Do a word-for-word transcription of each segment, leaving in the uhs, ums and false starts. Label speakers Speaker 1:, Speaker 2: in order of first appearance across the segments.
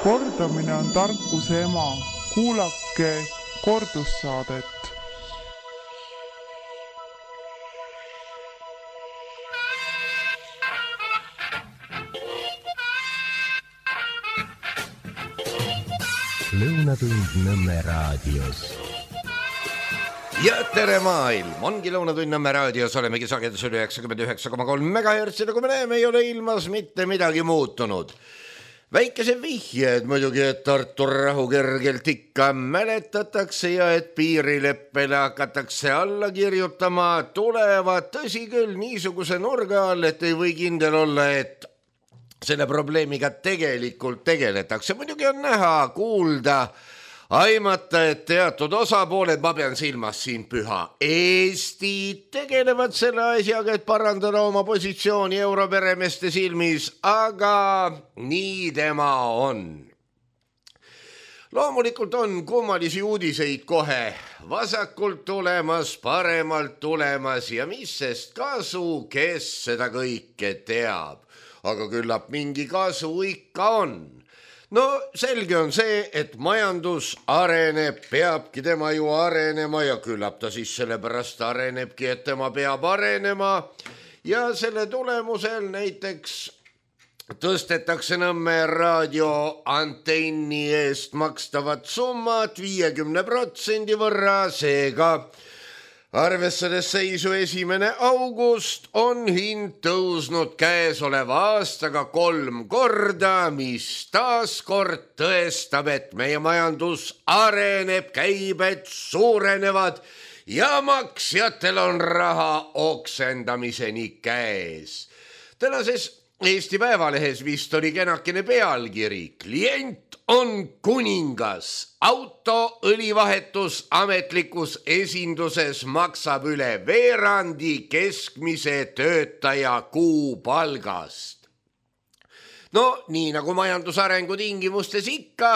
Speaker 1: Kordamine on tarkuse ema. Kuulake kordussaadet.
Speaker 2: Lõunatund Nõmme raadios.
Speaker 3: Ja tere maailm, ongi Lõunatund Nõmme raadios, olemegi sagedusel üheksakümmend üheksa koma kolm megahertsi, nagu me näeme, ei ole ilmas mitte midagi muutunud. Väikese vihjed muidugi, et Tartu rahu kergelt ikka mäletatakse ja et piirileppele hakatakse alla kirjutama, tulevad tõsi küll niisuguse nurga all, et ei või kindel olla, et selle probleemiga tegelikult tegeletakse. Muidugi on näha, kuulda, aimata, et teatud osapooled, ma pean silmas siin püha Eesti, tegelevad selle asjaga, et parandada oma positsiooni europeremeeste silmis, aga nii tema on. Loomulikult on kummalisi uudiseid kohe vasakult tulemas, paremalt tulemas ja mis sest kasu, kes seda kõike teab. Aga küllap mingi kasu ikka on. No selge on see, et majandus areneb, peabki tema ju arenema ja küllap ta siis sellepärast arenebki, et tema peab arenema ja selle tulemusel näiteks tõstetakse Nõmme raadio antenni eest makstavat summat viiekümne protsendi võrra, seega arvestades seisu esimene august on hind tõusnud käesoleva aastaga kolm korda, mis taas kord tõestab, et meie majandus areneb, käibed suurenevad ja maksjatel on raha oksendamiseni käes. Tänases Eesti Päevalehes vist oli kenakene pealkiri. Klient on kuningas. Auto õlivahetus ametlikus esinduses maksab üle veerandi keskmise töötaja kuupalgast. No nii nagu majandusarengu tingimustes ikka,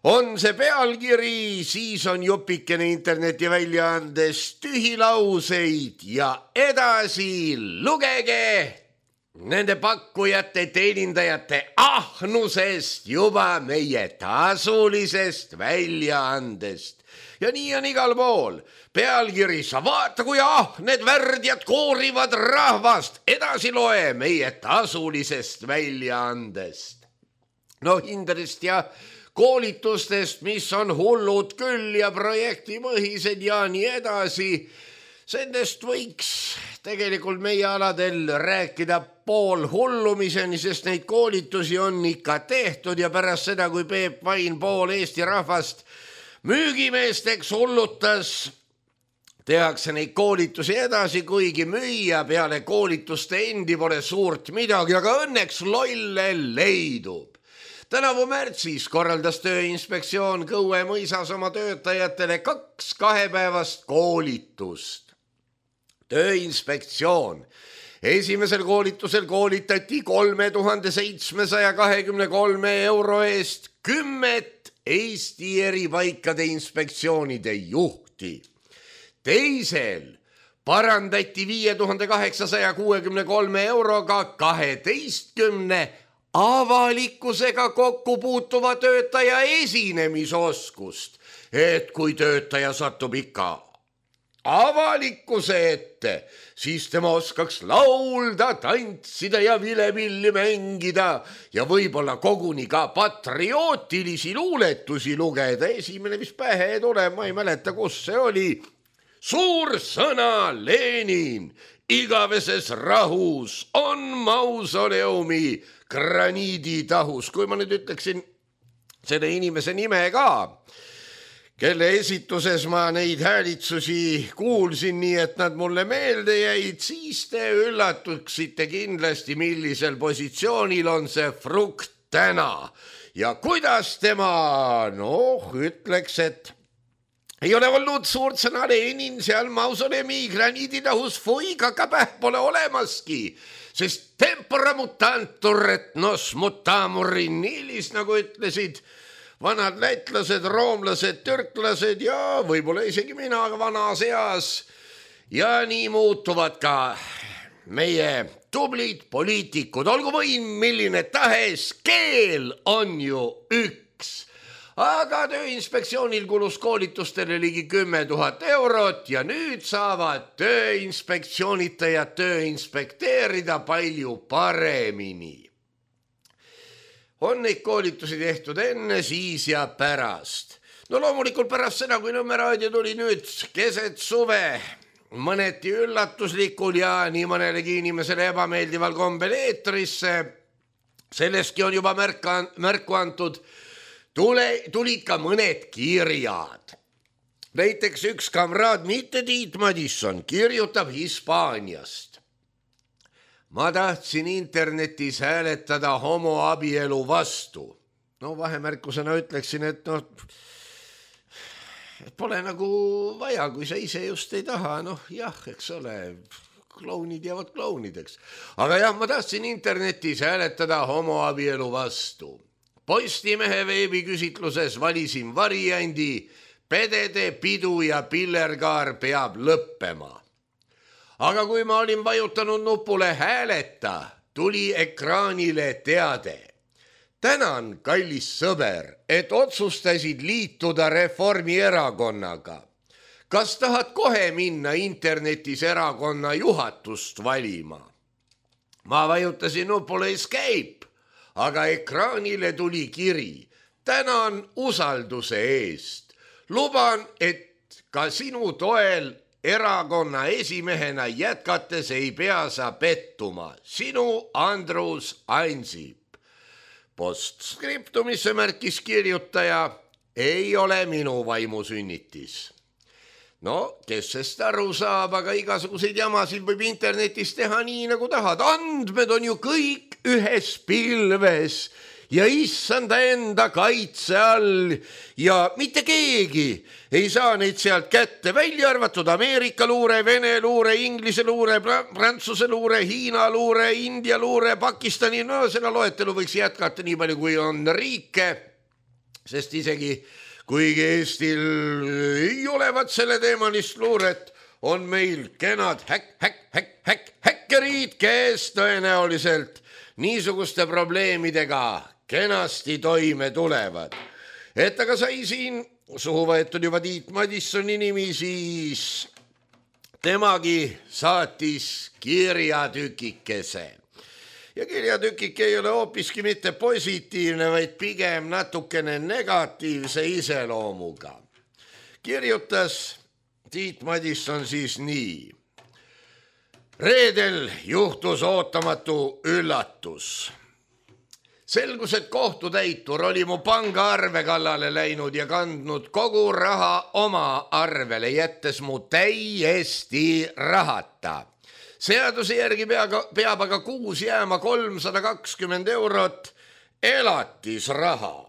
Speaker 3: on see pealkiri, siis on jupikene interneti väljaandes tühilauseid ja edasi lugege nende pakkujate, teenindajate ahnusest juba meie tasulisest väljaandest. Ja nii on igal pool. Pealkiri, sa vaata kui ahned värdjad koorivad rahvast. Edasi loe meie tasulisest väljaandest. No hindadest ja koolitustest, mis on hullud küll ja projektipõhised ja nii edasi. Sendest võiks tegelikult meie aladel rääkida pool hullumiseni, sest neid koolitusi on ikka tehtud ja pärast seda, kui Peep Vain pool Eesti rahvast müügimeesteks hullutas, tehakse neid koolitusi edasi, kuigi müüa peale koolituste endi pole suurt midagi, aga õnneks lolle leidub. Tänavu märtsis korraldas Tööinspektsioon Kõue mõisas oma töötajatele kaks kahepäevast koolitust. Tööinspektsioon. Esimesel koolitusel koolitati kolme tuhande seitsmesaja kahekümne kolme euro eest kümmet Eesti eri paikade inspektsioonide juhti. Teisel parandati viie tuhande kaheksasaja kuuekümne kolme euroga kaheteistkümne avalikkusega kokku puutuva töötaja esinemisoskust, et kui töötaja satub ikka avalikkuse ette, siis tema oskaks laulda, tantsida ja vilepilli mängida ja võib-olla koguni ka patriootilisi luuletusi lugeda. Esimene, mis pähe tuleb, ma ei mäleta, kus see oli. Suur sõna Lenin, igaveses rahus on mausoleumi graniiditahus. Kui ma nüüd ütleksin selle inimese nime ka, kelle esituses ma neid häälitsusi kuulsin nii, et nad mulle meelde jäid, siis te üllatuksite kindlasti, millisel positsioonil on see frukt täna. Ja kuidas tema, noh, ütleks, et ei ole olnud suurt sõna Lenin seal mausoleumi graniiditahus, fui, kakapäh pole olemaski, sest tempora mutantur et nos mutamurin nilis, nagu ütlesid vanad lätlased, roomlased, türklased ja võib-olla isegi mina vanas eas. Ja nii muutuvad ka meie tublid poliitikud, olgu võim milline tahes, keel on ju üks. Aga Tööinspektsioonil kulus koolitustele ligi kümme tuhat eurot ja nüüd saavad tööinspektsioonitajad töö inspekteerida palju paremini. On neid koolitusi tehtud enne, siis ja pärast. No loomulikult pärast seda, kui Nõmme raadio tuli nüüd keset suve, mõneti üllatuslikul ja nii mõnelegi inimesele ebameeldival kombel eetrisse, sellestki on juba märka, märku antud, tule, tulid ka mõned kirjad. Näiteks üks kamraad, mitte Tiit Madisson, kirjutab Hispaaniast. Ma tahtsin internetis hääletada homoabielu vastu. No vahemärkusena ütleksin, et noh, pole nagu vaja, kui sa ise just ei taha, noh jah, eks ole, klounid jäävad klounideks. Aga jah, ma tahtsin internetis hääletada homoabielu vastu. Postimehe veebiküsitluses valisin variandi, pedede pidu ja pillerkaar peab lõppema. Aga kui ma olin vajutanud nupule hääleta, tuli ekraanile teade. Tänan, kallis sõber, et otsustasid liituda Reformierakonnaga. Kas tahad kohe minna internetis erakonna juhatust valima? Ma vajutasin nupule escape, aga ekraanile tuli kiri. Tänan usalduse eest. Luban, et ka sinu toel erakonna esimehena jätkates ei pea sa pettuma. Sinu Andrus Ansip. Postskriptumisse märkis kirjutaja, ei ole minu vaimusünnitis. No, kes sest aru saab, aga igasuguseid jamasid võib internetis teha nii, nagu tahad. Andmed on ju kõik ühes pilves ja issanda enda kaitse all ja mitte keegi ei saa neid sealt kätte, välja arvatud Ameerika luure, Vene luure, Inglise luure, Prantsuse luure, Hiina luure, India luure, Pakistani, no seda loetelu võiks jätkata nii palju, kui on riike, sest isegi kuigi Eestil ei olevat selle teemalist luuret, on meil kenad häk, häk, häk, häk, häkkerid, kes tõenäoliselt niisuguste probleemidega kenasti toime tulevad. Et aga sai siin suhu võetud juba Tiit Madissoni nimi, siis temagi saatis kirjatükikese. Ja kirjatükik ei ole hoopiski mitte positiivne, vaid pigem natukene negatiivse iseloomuga. Kirjutas Tiit Madisson siis nii. Reedel juhtus ootamatu üllatus. Selgus, et kohtutäitur oli mu pangaarve kallale läinud ja kandnud kogu raha oma arvele, jättes mu täiesti rahata. Seaduse järgi peab aga kuus jääma kolmsada kakskümmend eurot elatisraha.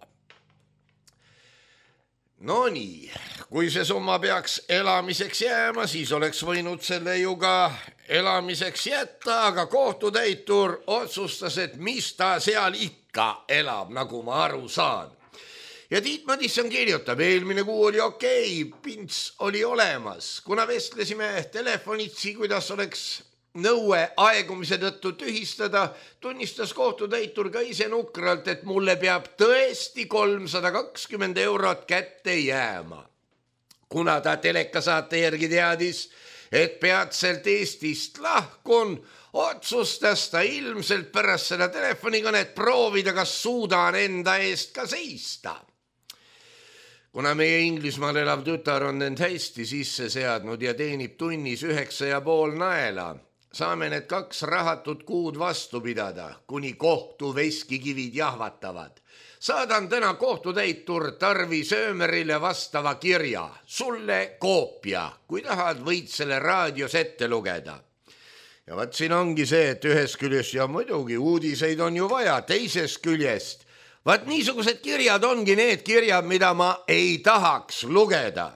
Speaker 3: No nii, kui see summa peaks elamiseks jääma, siis oleks võinud selle ju ka elamiseks jätta, aga kohtutäitur otsustas, et mis ta seal ikka elab, nagu ma aru saan. Ja Tiit Madisson kirjutab, eelmine kuu oli okei, pints oli olemas. Kuna vestlesime telefonitsi, kuidas oleks nõue aegumise tõttu tühistada, tunnistas kohtutäitur ka ise nukralt, et mulle peab tõesti kolmsada kakskümmend eurot kätte jääma. Kuna ta telekasaate järgi teadis, et peatselt Eestist lahkun, otsustas ta ilmselt pärast seda telefonikõnet proovida, kas suudan enda eest ka seista. Kuna meie Inglismaal elav tütar on end hästi sisse seadnud ja teenib tunnis üheksa ja pool naela, saame need kaks rahatut kuud vastu pidada, kuni kohtu veskikivid jahvatavad. Saadan täna kohtutäitur Tarvi Söömerile vastava kirja, sulle koopia, kui tahad, võid selle raadios ette lugeda. Ja vaat siin ongi see, et ühest küljest ja muidugi uudiseid on ju vaja, teisest küljest. Vaat niisugused kirjad ongi need kirjad, mida ma ei tahaks lugeda.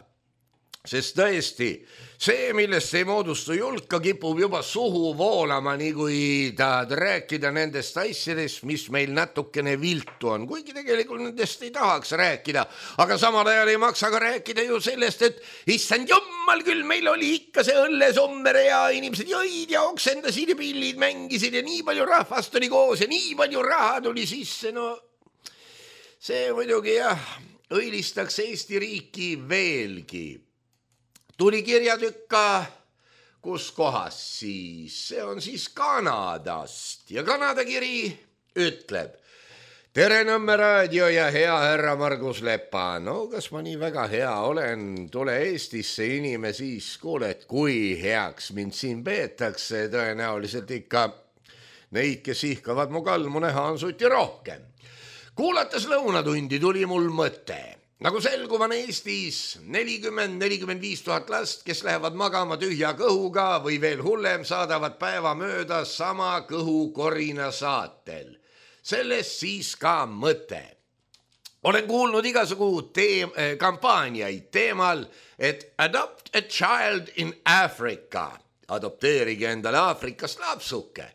Speaker 3: Sest tõesti, see, millest ei moodustu julka, kipub juba suhu voolama, nii kui tahad rääkida nendest asjadest, mis meil natukene viltu on, kuigi tegelikult nendest ei tahaks rääkida, aga samal ajal ei maksa ka rääkida ju sellest, et issand jummal küll, meil oli ikka see õllesommere ja inimesed jõid ja oksendasid ja pillid mängisid ja nii palju rahvast oli koos ja nii palju raha tuli sisse, no see muidugi jah, õilistaks Eesti riiki veelgi. Tuli kirjatükka, kus kohas siis, see on siis Kanadast ja Kanada kiri ütleb: tere Nõmme raadio ja hea härra Margus Lepa, no kas ma nii väga hea olen, tule Eestisse inime siis, kuule, et kui heaks mind siin peetakse, tõenäoliselt ikka neid, kes ihkavad mu kalmu näha, on suti rohkem. Kuulates lõunatundi tuli mul mõte. Nagu selguv on Eestis nelikümmend nelikümmend viis tuhat last, kes lähevad magama tühja kõhuga või veel hullem saadavad päeva mööda sama kõhukorina saatel. Sellest siis ka mõte. Olen kuulnud igasugu teem- kampaaniaid teemal, et adopt a child in Africa. Adopteerige endale Aafrikast lapsuke.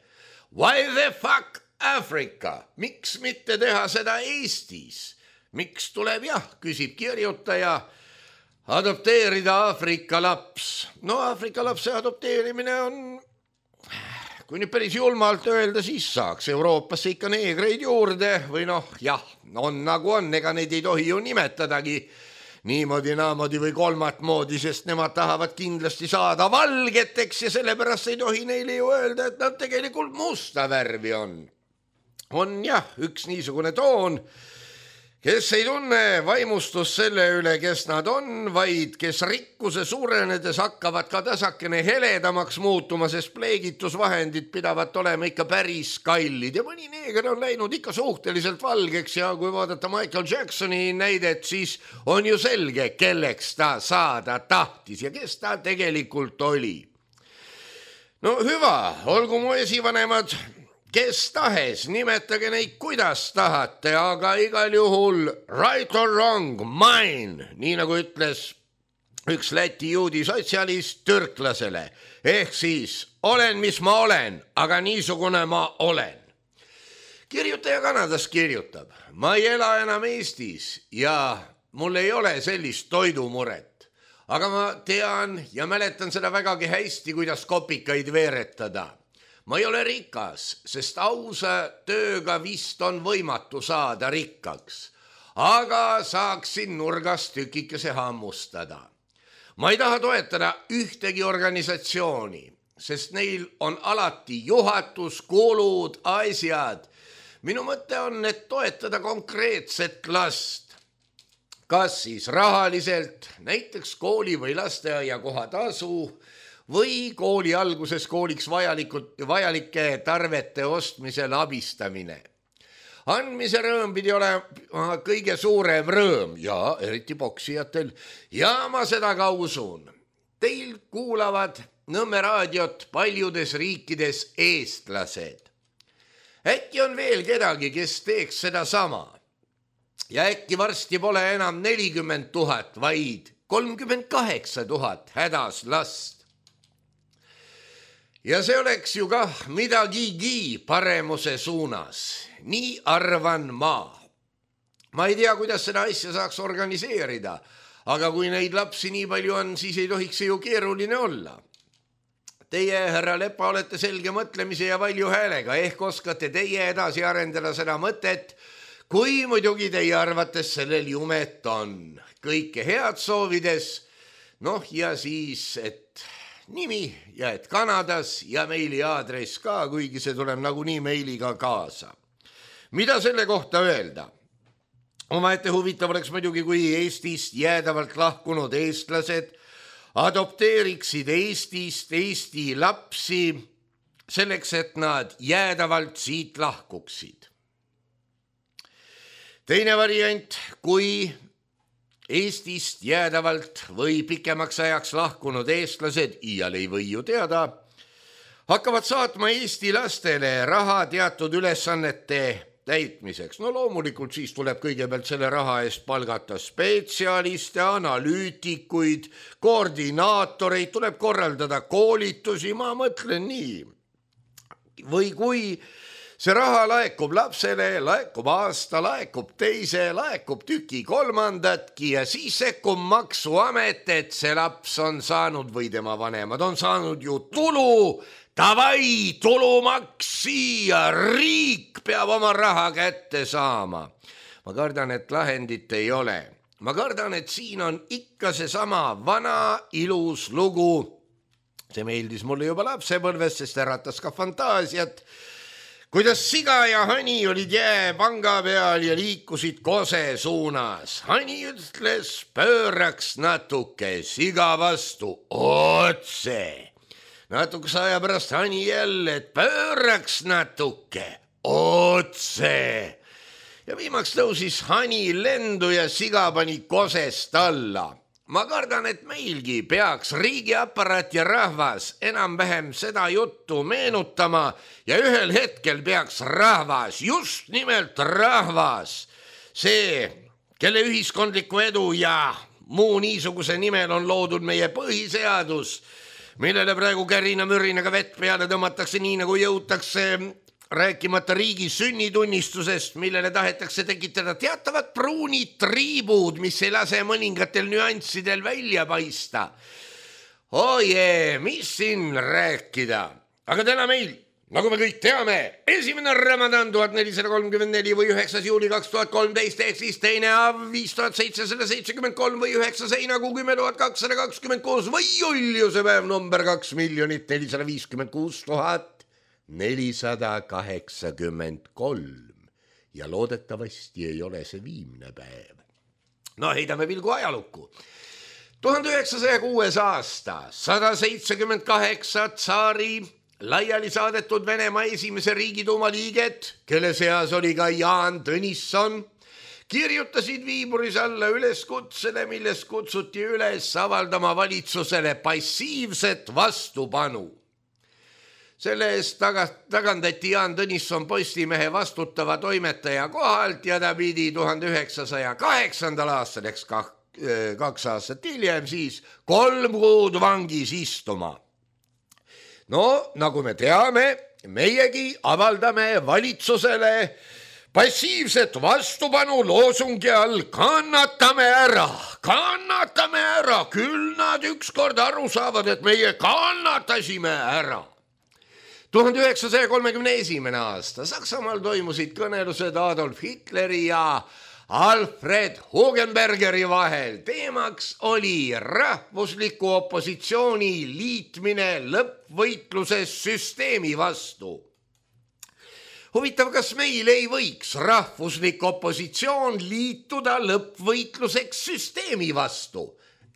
Speaker 3: Why the fuck Africa? Miks mitte teha seda Eestis? Miks tuleb jah, küsib kirjutaja, adopteerida Aafrika laps. No Aafrika lapse adopteerimine on, kui nüüd päris julmalt öelda, siis saaks Euroopasse ikka neegreid juurde või noh, jah, on nagu on, ega neid ei tohi ju nimetadagi niimoodi, naamodi või kolmat moodi, sest nemad tahavad kindlasti saada valgeteks ja sellepärast ei tohi neile ju öelda, et nad tegelikult musta värvi on. On jah, üks niisugune toon, kes ei tunne vaimustust selle üle, kes nad on, vaid kes rikkuse suurenedes hakkavad ka tasakene heledamaks muutuma, sest pleegitusvahendid pidavat olema ikka päris kallid ja mõni neeger on läinud ikka suhteliselt valgeks ja kui vaadata Michael Jacksoni näidet, siis on ju selge, kelleks ta saada tahtis ja kes ta tegelikult oli. No hüva, olgu mu esivanemad kes tahes, nimetage neid kuidas tahate, aga igal juhul right or wrong, mine, nii nagu ütles üks Läti juudi sotsialist türklasele, ehk siis olen, mis ma olen, aga niisugune ma olen. Kirjutaja Kanadast kirjutab, ma ei ela enam Eestis ja mul ei ole sellist toidumuret, aga ma tean ja mäletan seda vägagi hästi, kuidas kopikaid veeretada. Ma ei ole rikas, sest ausa tööga vist on võimatu saada rikkaks, aga saaksin nurgast tükikese hammustada. Ma ei taha toetada ühtegi organisatsiooni, sest neil on alati juhatus, kulud, asjad. Minu mõte on, et toetada konkreetset last. Kas siis rahaliselt, näiteks kooli või lasteaia kohatasu, või kooli alguses kooliks vajalikud, vajalike tarvete ostmisel abistamine. Andmise rõõm pidi olema kõige suurem rõõm ja eriti poksijatel ja ma seda ka usun. Teil kuulavad Nõmme raadiot paljudes riikides eestlased. Äkki on veel kedagi, kes teeks seda sama ja äkki varsti pole enam nelikümmend tuhat, vaid kolmkümmend kaheksa tuhat hädas last. Ja see oleks ju kah midagigi paremuse suunas. Nii arvan ma. Ma ei tea, kuidas seda asja saaks organiseerida, aga kui neid lapsi nii palju on, siis ei tohiks see ju keeruline olla. Teie, härra Lepa, olete selge mõtlemise ja valju häälega, ehk oskate teie edasi arendada seda mõtet, kui muidugi teie arvates sellel jumet on. Kõike head soovides, noh ja siis, et nimi ja et Kanadas ja meili aadress ka, kuigi see tuleb nagunii meiliga kaasa. Mida selle kohta öelda? Omaette huvitav oleks muidugi, kui Eestist jäädavalt lahkunud eestlased adopteeriksid Eestist Eesti lapsi selleks, et nad jäädavalt siit lahkuksid. Teine variant, kui Eestist jäädavalt või pikemaks ajaks lahkunud eestlased, iial ei või ju teada, hakkavad saatma Eesti lastele raha teatud ülesannete täitmiseks. No loomulikult siis tuleb kõigepealt selle raha eest palgata spetsialiste, analüütikuid, koordinaatoreid, tuleb korraldada koolitusi, ma mõtlen nii. Või kui see raha laekub lapsele, laekub aasta, laekub teise, laekub tüki kolmandatki ja siis sekkub maksuamet, et see laps on saanud või tema vanemad on saanud ju tulu. Tavai, tulumaks siia, riik peab oma raha kätte saama. Ma kardan, et lahendit ei ole. Ma kardan, et siin on ikka seesama vana ilus lugu. See meeldis mulle juba lapsepõlves, sest äratas ka fantaasiat. Kuidas siga ja hani olid jääpanga peal ja liikusid kose suunas. Hani ütles, pööraks natuke siga vastu otse. Natukese aja pärast hani jälle, et pööraks natuke otse. Ja viimaks tõusis hani lendu ja siga pani kosest alla. Ma kardan, et meilgi peaks riigiapparat ja rahvas enam-vähem seda juttu meenutama ja ühel hetkel peaks rahvas, just nimelt rahvas, see, kelle ühiskondliku edu ja muu niisuguse nimel on loodud meie põhiseadus, millele praegu kärina-mürinaga vett peale tõmmatakse nii, nagu jõutakse rääkimata riigi sünnitunnistusest, millele tahetakse tekitada teatavad pruunid triibud, mis ei lase mõningatel nüanssidel välja paista. Oje, mis siin rääkida? Aga täna meil, nagu me kõik teame, esimene Ramadan tuhat nelisada kolmkümmend neli või üheksas juuli kaks tuhat kolmteist ehk siis teine av viis tuhat seitsesada seitsekümmend kolm või üheksas heinakuu kümme tuhat kakssada kakskümmend kuus või Juliuse päev number kaks miljonit nelisada viiskümmend kuus tuhat nelisada kaheksakümmend kolm ja loodetavasti ei ole see viimne päev. No heidame pilgu ajalukku. tuhande üheksasaja kuues aasta, sada seitsekümmend kaheksa tsaari laiali saadetud Venemaa esimese riigiduuma liiget, kelle seas oli ka Jaan Tõnisson, kirjutasid Viiburis alla üleskutsele, milles kutsuti üles avaldama valitsusele passiivset vastupanu. Selle eest tagandati Jaan Tõnisson Postimehe vastutava toimetaja kohalt ja ta pidi tuhande üheksasaja kaheksandal aastal, eks kaks aastat hiljem siis, kolm kuud vangis istuma. No, nagu me teame, meiegi avaldame valitsusele passiivset vastupanu loosungi all kannatame ära, kannatame ära, küll nad ükskord aru saavad, et meie kannatasime ära. tuhande üheksasaja kolmekümne esimene aasta Saksamaal toimusid kõnelused Adolf Hitleri ja Alfred Hugenbergeri vahel. Teemaks oli rahvusliku opositsiooni liitmine lõppvõitluses süsteemi vastu. Huvitav, kas meil ei võiks rahvuslik opositsioon liituda lõppvõitluseks süsteemi vastu?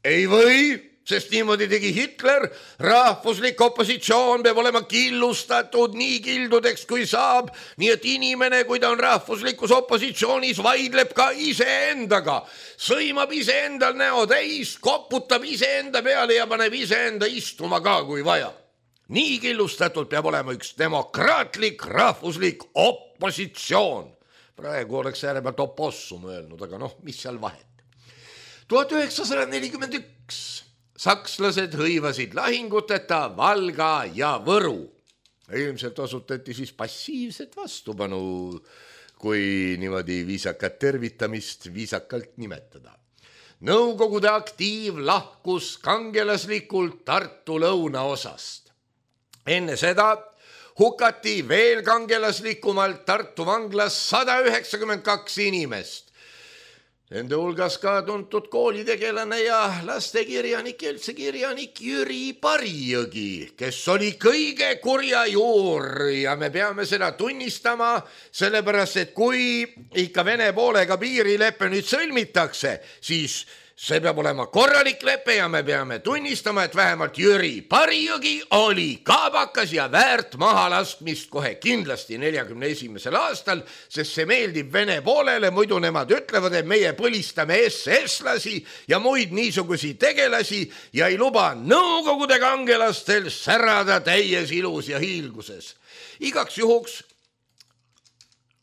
Speaker 3: Ei või, sest niimoodi tegi Hitler. Rahvuslik opositsioon peab olema killustatud nii kildudeks kui saab, nii et inimene, kui ta on rahvuslikus opositsioonis, vaidleb ka iseendaga, sõimab iseendal näo täis, koputab iseenda peale ja paneb iseenda istuma ka, kui vaja. Nii killustatud peab olema üks demokraatlik rahvuslik opositsioon. Praegu oleks äärepealt opossum öelnud, aga noh, mis seal vahet. tuhat üheksasada nelikümmend üks sakslased hõivasid lahinguteta Valga ja Võru. Ilmselt osutati siis passiivset vastupanu, kui niimoodi viisakat tervitamist viisakalt nimetada. Nõukogude aktiiv lahkus kangelaslikult Tartu lõunaosast. Enne seda hukati veel kangelaslikumalt Tartu vanglas sada üheksakümmend kaks inimest. Nende hulgas ka tuntud koolitegelane ja lastekirjanik, üldse kirjanik Jüri Parijõgi, kes oli kõige kurja juur ja me peame seda tunnistama, sellepärast et kui ikka Vene poolega piirilepe nüüd sõlmitakse, siis see peab olema korralik lepe ja me peame tunnistama, et vähemalt Jüri Parijõgi oli kaabakas ja väärt mahalaskmist kohe kindlasti neljakümne esimesel aastal, sest see meeldib Vene poolele, muidu nemad ütlevad, et meie põlistame S S-lasi ja muid niisugusi tegelasi ja ei luba Nõukogude kangelastel särada täies ilus ja hiilguses. Igaks juhuks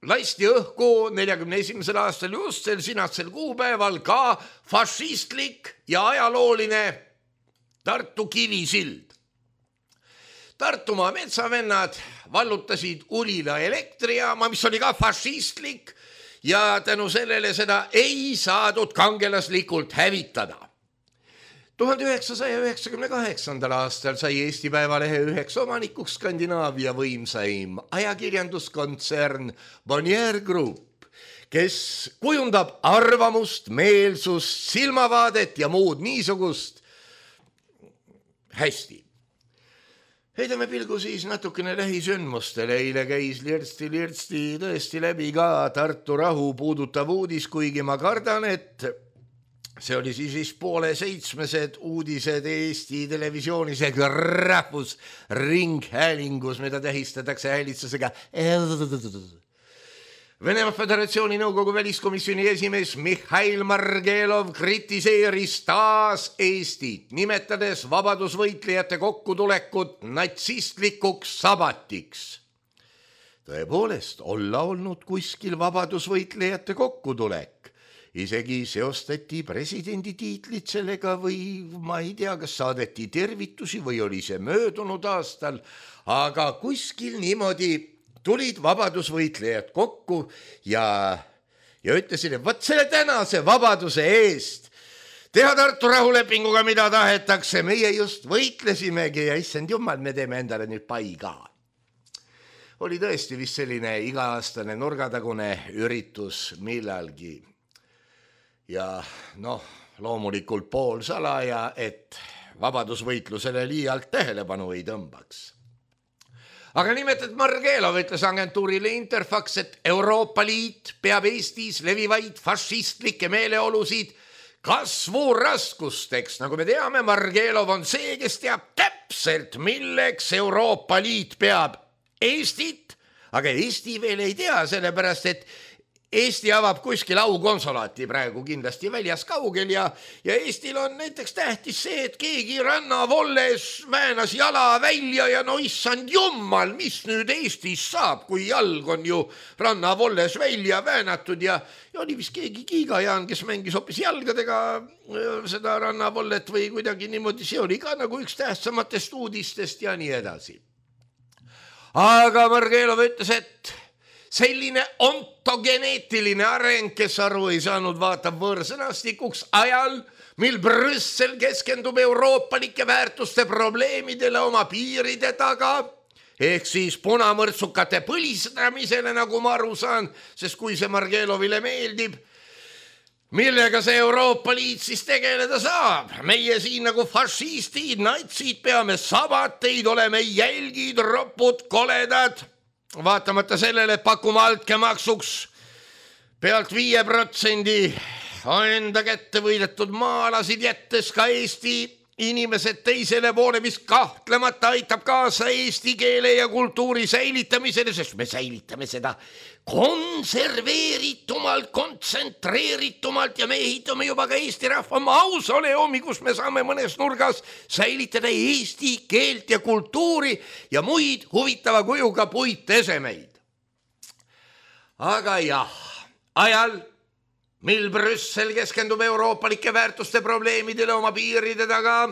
Speaker 3: lasti õhku neljakümne esimesel aastal just sel sinasel kuupäeval ka fašistlik ja ajalooline Tartu Kivisild. Tartumaa metsavennad vallutasid Ulila elektrijaama, mis oli ka fašistlik ja tänu sellele seda ei saadud kangelaslikult hävitada. tuhande üheksasaja üheksakümne kaheksandal aastal sai Eesti Päevalehe üheks omanikuks Skandinaavia võimsaim ajakirjanduskontsern Bonnier Group, kes kujundab arvamust, meelsust, silmavaadet ja muud niisugust hästi. Heidame pilgu siis natukene lähisündmustele. Eile käis lirtsti-lirtsti tõesti läbi ka Tartu rahu puudutav uudis, kuigi ma kardan, et see oli siis vist poole seitsmesed uudised Eesti televisioonis ja rahvusringhäälingus, mida tähistatakse häälitsusega. Venemaa Föderatsiooni Nõukogu väliskomisjoni esimees Mihhail Margelov kritiseeris taas Eestit, nimetades vabadusvõitlejate kokkutulekut natsistlikuks sabatiks. Tõepoolest, olla olnud kuskil vabadusvõitlejate kokkutulek. Isegi seostati presidendi tiitlit sellega või ma ei tea, kas saadeti tervitusi või oli see möödunud aastal, aga kuskil niimoodi tulid vabadusvõitlejad kokku ja, ja ütlesid, et võt selle tänase vabaduse eest teha Tartu rahulepinguga, mida tahetakse, meie just võitlesimegi ja issand jumal, me teeme endale nüüd pai ka. Oli tõesti vist selline iga-aastane nurgatagune üritus millalgi. Ja noh, loomulikult pool salaja, et vabadusvõitlusele liialt tähelepanu ei tõmbaks. Aga nimetat Margelov ütles agentuurile Interfax, et Euroopa Liit peab Eestis levivaid fašistlikke meeleolusid kasvuraskusteks. Nagu me teame, Margelov on see, kes teab täpselt, milleks Euroopa Liit peab Eestit, aga Eesti veel ei tea, sellepärast, et Eesti avab kuskil aukonsulaati praegu kindlasti väljas kaugel ja, ja Eestil on näiteks tähtis see, et keegi rannavolles väänas jala välja ja no issand jummal, mis nüüd Eestis saab, kui jalg on ju rannavolles välja väänatud ja, ja oli vist keegi Kiigajaan, kes mängis hoopis jalgadega seda rannavollet või kuidagi niimoodi, see oli ka nagu üks tähtsamatest uudistest ja nii edasi. Aga Margelov ütles, et selline ontogeneetiline areng, kes aru ei saanud, vaatab võõrsõnastikuks ajal, mil Brüssel keskendub euroopalike väärtuste probleemidele oma piiride taga, ehk siis punamõrtsukate põlistamisele, nagu ma aru saan, sest kui see Margelovile meeldib, millega see Euroopa Liit siis tegeleda saab. Meie siin nagu fašistid, natsid peame sabateid, oleme jälgid, ropud, koledad. Vaatamata sellele, et pakume altkäemaksuks pealt viie protsendi enda kätte võidetud maalasid jättes ka Eesti inimesed teisele poole, mis kahtlemata aitab kaasa eesti keele ja kultuuri säilitamisele, sest me säilitame seda konserveeritumalt, kontsentreeritumalt ja me ehitame juba ka Eesti rahva mausoleumi, kus me saame mõnes nurgas säilitada eesti keelt ja kultuuri ja muid huvitava kujuga puitesemeid. Aga jah, ajal, mil Brüssel keskendub euroopalike väärtuste probleemidele oma piiride taga,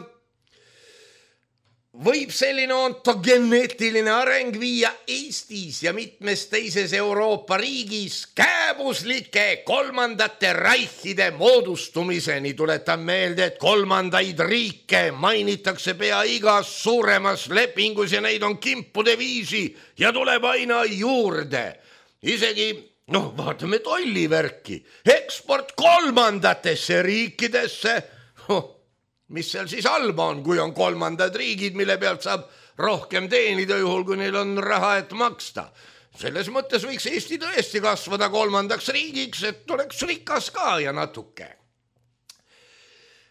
Speaker 3: võib selline ontogeneetiline areng viia Eestis ja mitmes teises Euroopa riigis kääbuslike kolmandate reichide moodustumiseni. Tuletan meelde, et kolmandaid riike mainitakse pea igas suuremas lepingus ja neid on kimpude viisi ja tuleb aina juurde. Isegi, noh, vaatame tollivärki, eksport kolmandatesse riikidesse, oh, mis seal siis halba on, kui on kolmandad riigid, mille pealt saab rohkem teenida juhul, kui neil on raha, et maksta. Selles mõttes võiks Eesti tõesti kasvada kolmandaks riigiks, et oleks rikas ka ja natuke.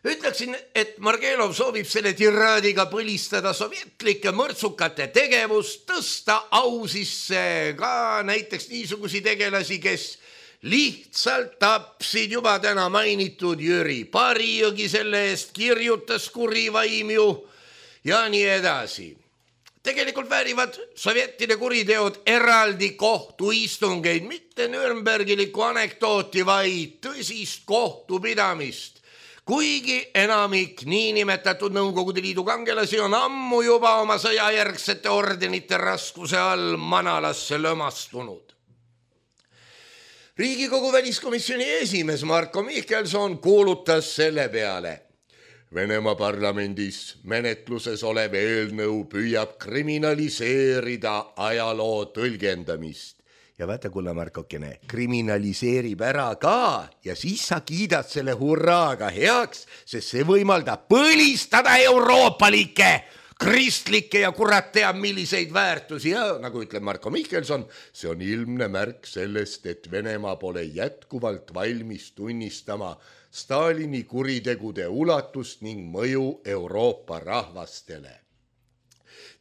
Speaker 3: Ütleksin, et Margelov soovib selle tiraadiga põlistada sovjetlike mõrtsukate tegevust, tõsta au sisse ka näiteks niisugusi tegelasi, kes lihtsalt tapsid juba täna mainitud Jüri Parijõgi, selle eest kirjutas kuri vaim ju ja nii edasi. tegelikult väärivad sovjettide kuriteod eraldi kohtuistungeid, mitte Nürnbergiliku anekdooti, vaid tõsist kohtupidamist. Kuigi enamik niinimetatud Nõukogude Liidu kangelasi on ammu juba oma sõjajärgsete ordenite raskuse all manalasse lömastunud. Riigikogu väliskomisjoni esimees Marko Mihkelson kuulutas selle peale. Venemaa parlamendis menetluses olev eelnõu püüab kriminaliseerida ajaloo tõlgendamist. Ja vaata, kulla Markokene, kriminaliseerib ära ka ja siis sa kiidad selle hurraaga heaks, sest see võimaldab põlistada euroopalikke, kristlikke ja kurat teab milliseid väärtusi. Ja nagu ütleb Marko Mihkelson, see on ilmne märk sellest, et Venemaa pole jätkuvalt valmis tunnistama Stalini kuritegude ulatust ning mõju Euroopa rahvastele.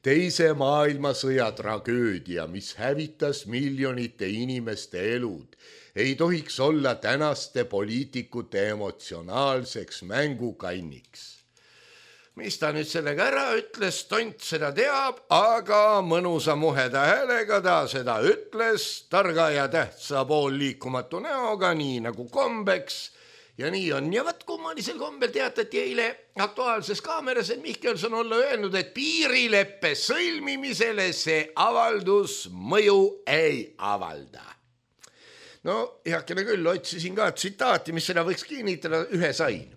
Speaker 3: Teise maailmasõja tragöödia, mis hävitas miljonite inimeste elud, ei tohiks olla tänaste poliitikute emotsionaalseks mängukanniks. Mis ta nüüd sellega ära ütles, tont seda teab, aga mõnusa muheda häälega ta seda ütles, targa ja tähtsa pool liikumatu näoga, nii nagu kombeks. Ja nii on. Ja vaat kummalisel kombel teatati eile Aktuaalses Kaameras, et Mihkelson olla öelnud, et piirileppe sõlmimisele see avaldus mõju ei avalda. No heakene küll, otsisin ka tsitaati, mis seda võiks kinnitada, ühe sain.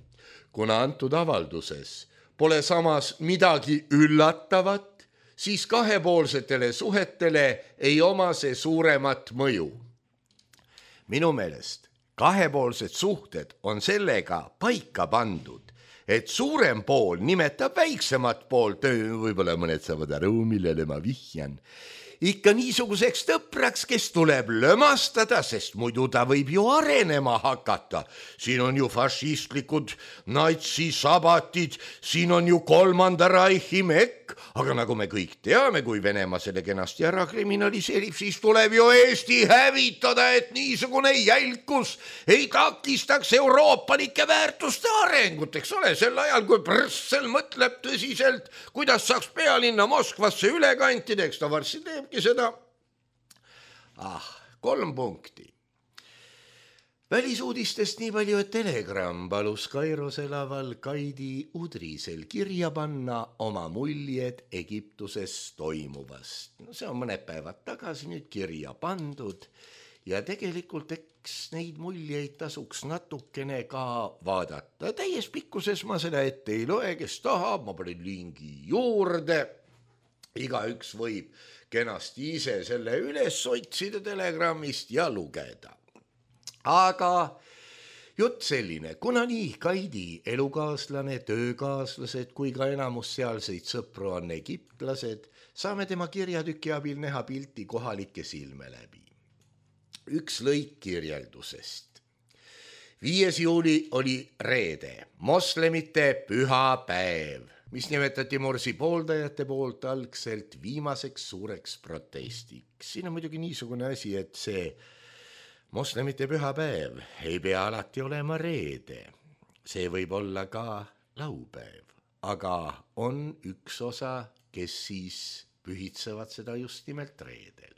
Speaker 3: Kuna antud avalduses pole samas midagi üllatavat, siis kahepoolsetele suhetele ei oma see suuremat mõju. Minu meelest kahepoolsed suhted on sellega paika pandud, et suurem pool nimetab väiksemat poolt, võib-olla mõned saavad aru, millele ma vihjan, ikka niisuguseks tõpraks, kes tuleb lömastada, sest muidu ta võib ju arenema hakata. Siin on ju fašistlikud natsisabatid, siin on ju kolmanda raihi mekk, aga nagu me kõik teame, kui Venemaa selle kenasti ära kriminaliseerib, siis tuleb ju Eesti hävitada, et niisugune jälkus ei takistaks euroopalike väärtuste arengut, eks ole, sel ajal, kui Brüssel mõtleb tõsiselt, kuidas saaks pealinna Moskvasse üle kantida, eks ta varsti teebki seda. Ah, kolm punkti. Välisuudistest nii palju, et Telegram palus Kairos elaval Kaidi Udrisel kirja panna oma muljed Egiptuses toimuvast. No see on mõned päevad tagasi nüüd kirja pandud ja tegelikult eks neid muljeid tasuks natukene ka vaadata. Täies pikkuses ma seda ette ei loe, kes tahab, ma panen lingi juurde. Igaüks võib kenasti ise selle üles otsida Telegramist ja lugeda. Aga jutt selline, kuna nii Kaidi elukaaslane, töökaaslased kui ka enamus sealseid sõpru on egiptlased, saame tema kirjatüki abil näha pilti kohalike silme läbi. Üks lõik kirjeldusest. viies juuli oli reede, moslemite püha päev, mis nimetati Morsi pooldajate poolt algselt viimaseks suureks protestiks. Siin on muidugi niisugune asi, et see moslemite pühapäev ei pea alati olema reede. See võib olla ka laupäev, aga on üks osa, kes siis pühitsevad seda just nimelt reedel.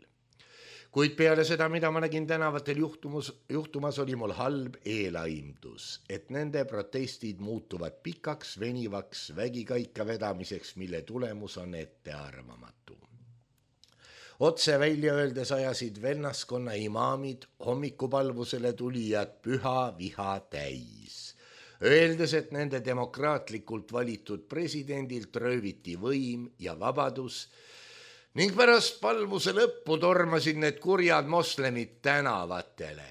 Speaker 3: Kuid peale seda, mida ma nägin tänavatel juhtumus, juhtumas, oli mul halb eelaimdus, et nende protestid muutuvad pikaks, venivaks vägikaika vedamiseks, mille tulemus on ettearvamatu. Otse välja öeldes ajasid vennaskonna imaamid hommikupalvusele tulijad püha viha täis. Öeldes, et nende demokraatlikult valitud presidendilt rööviti võim ja vabadus ning pärast palvuse lõppu tormasid need kurjad moslemid tänavatele.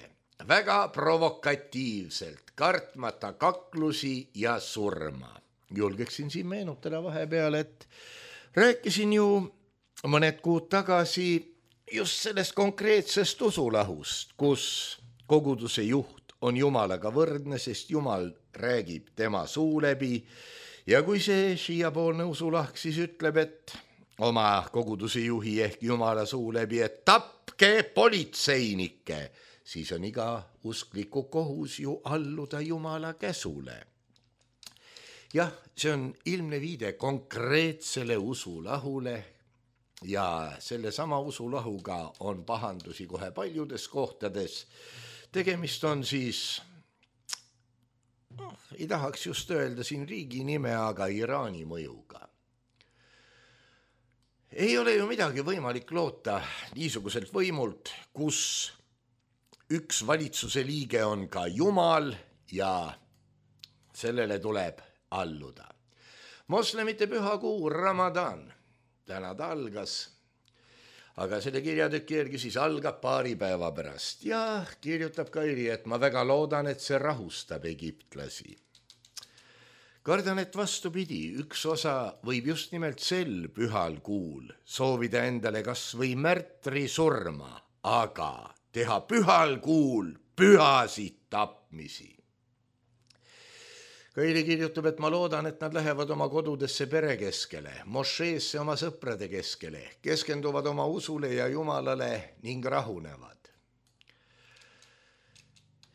Speaker 3: Väga provokatiivselt, kartmata kaklusi ja surma. Julgeksin siin meenutada vahepeal, et rääkisin ju mõned kuud tagasi just sellest konkreetsest usulahust, kus koguduse juht on Jumalaga võrdne, sest Jumal räägib tema suu läbi ja kui see šiiapoolne usulahk siis ütleb, et oma koguduse juhi ehk Jumala suu läbi, et tapke politseinikke, siis on iga uskliku kohus ju alluda Jumala käsule. Jah, see on ilmne viide konkreetsele usulahule, ja selle sama usulahuga on pahandusi kohe paljudes kohtades. Tegemist on siis, no, ei tahaks just öelda siin riigi nime, aga Iraani mõjuga. Ei ole ju midagi võimalik loota niisuguselt võimult, kus üks valitsuse liige on ka Jumal ja sellele tuleb alluda. Moslemite pühakuu Ramadan, täna ta algas, aga selle kirjatüki järgi siis algab paari päeva pärast ja kirjutab Kairi, et ma väga loodan, et see rahustab egiptlasi. Kardan, et vastupidi, üks osa võib just nimelt sel pühal kuul soovida endale kas või märtri surma, aga teha pühal kuul pühasid tapmisi. Kairi kirjutab, et ma loodan, et nad lähevad oma kodudesse pere keskele, mošeesse oma sõprade keskele, keskenduvad oma usule ja Jumalale ning rahunevad.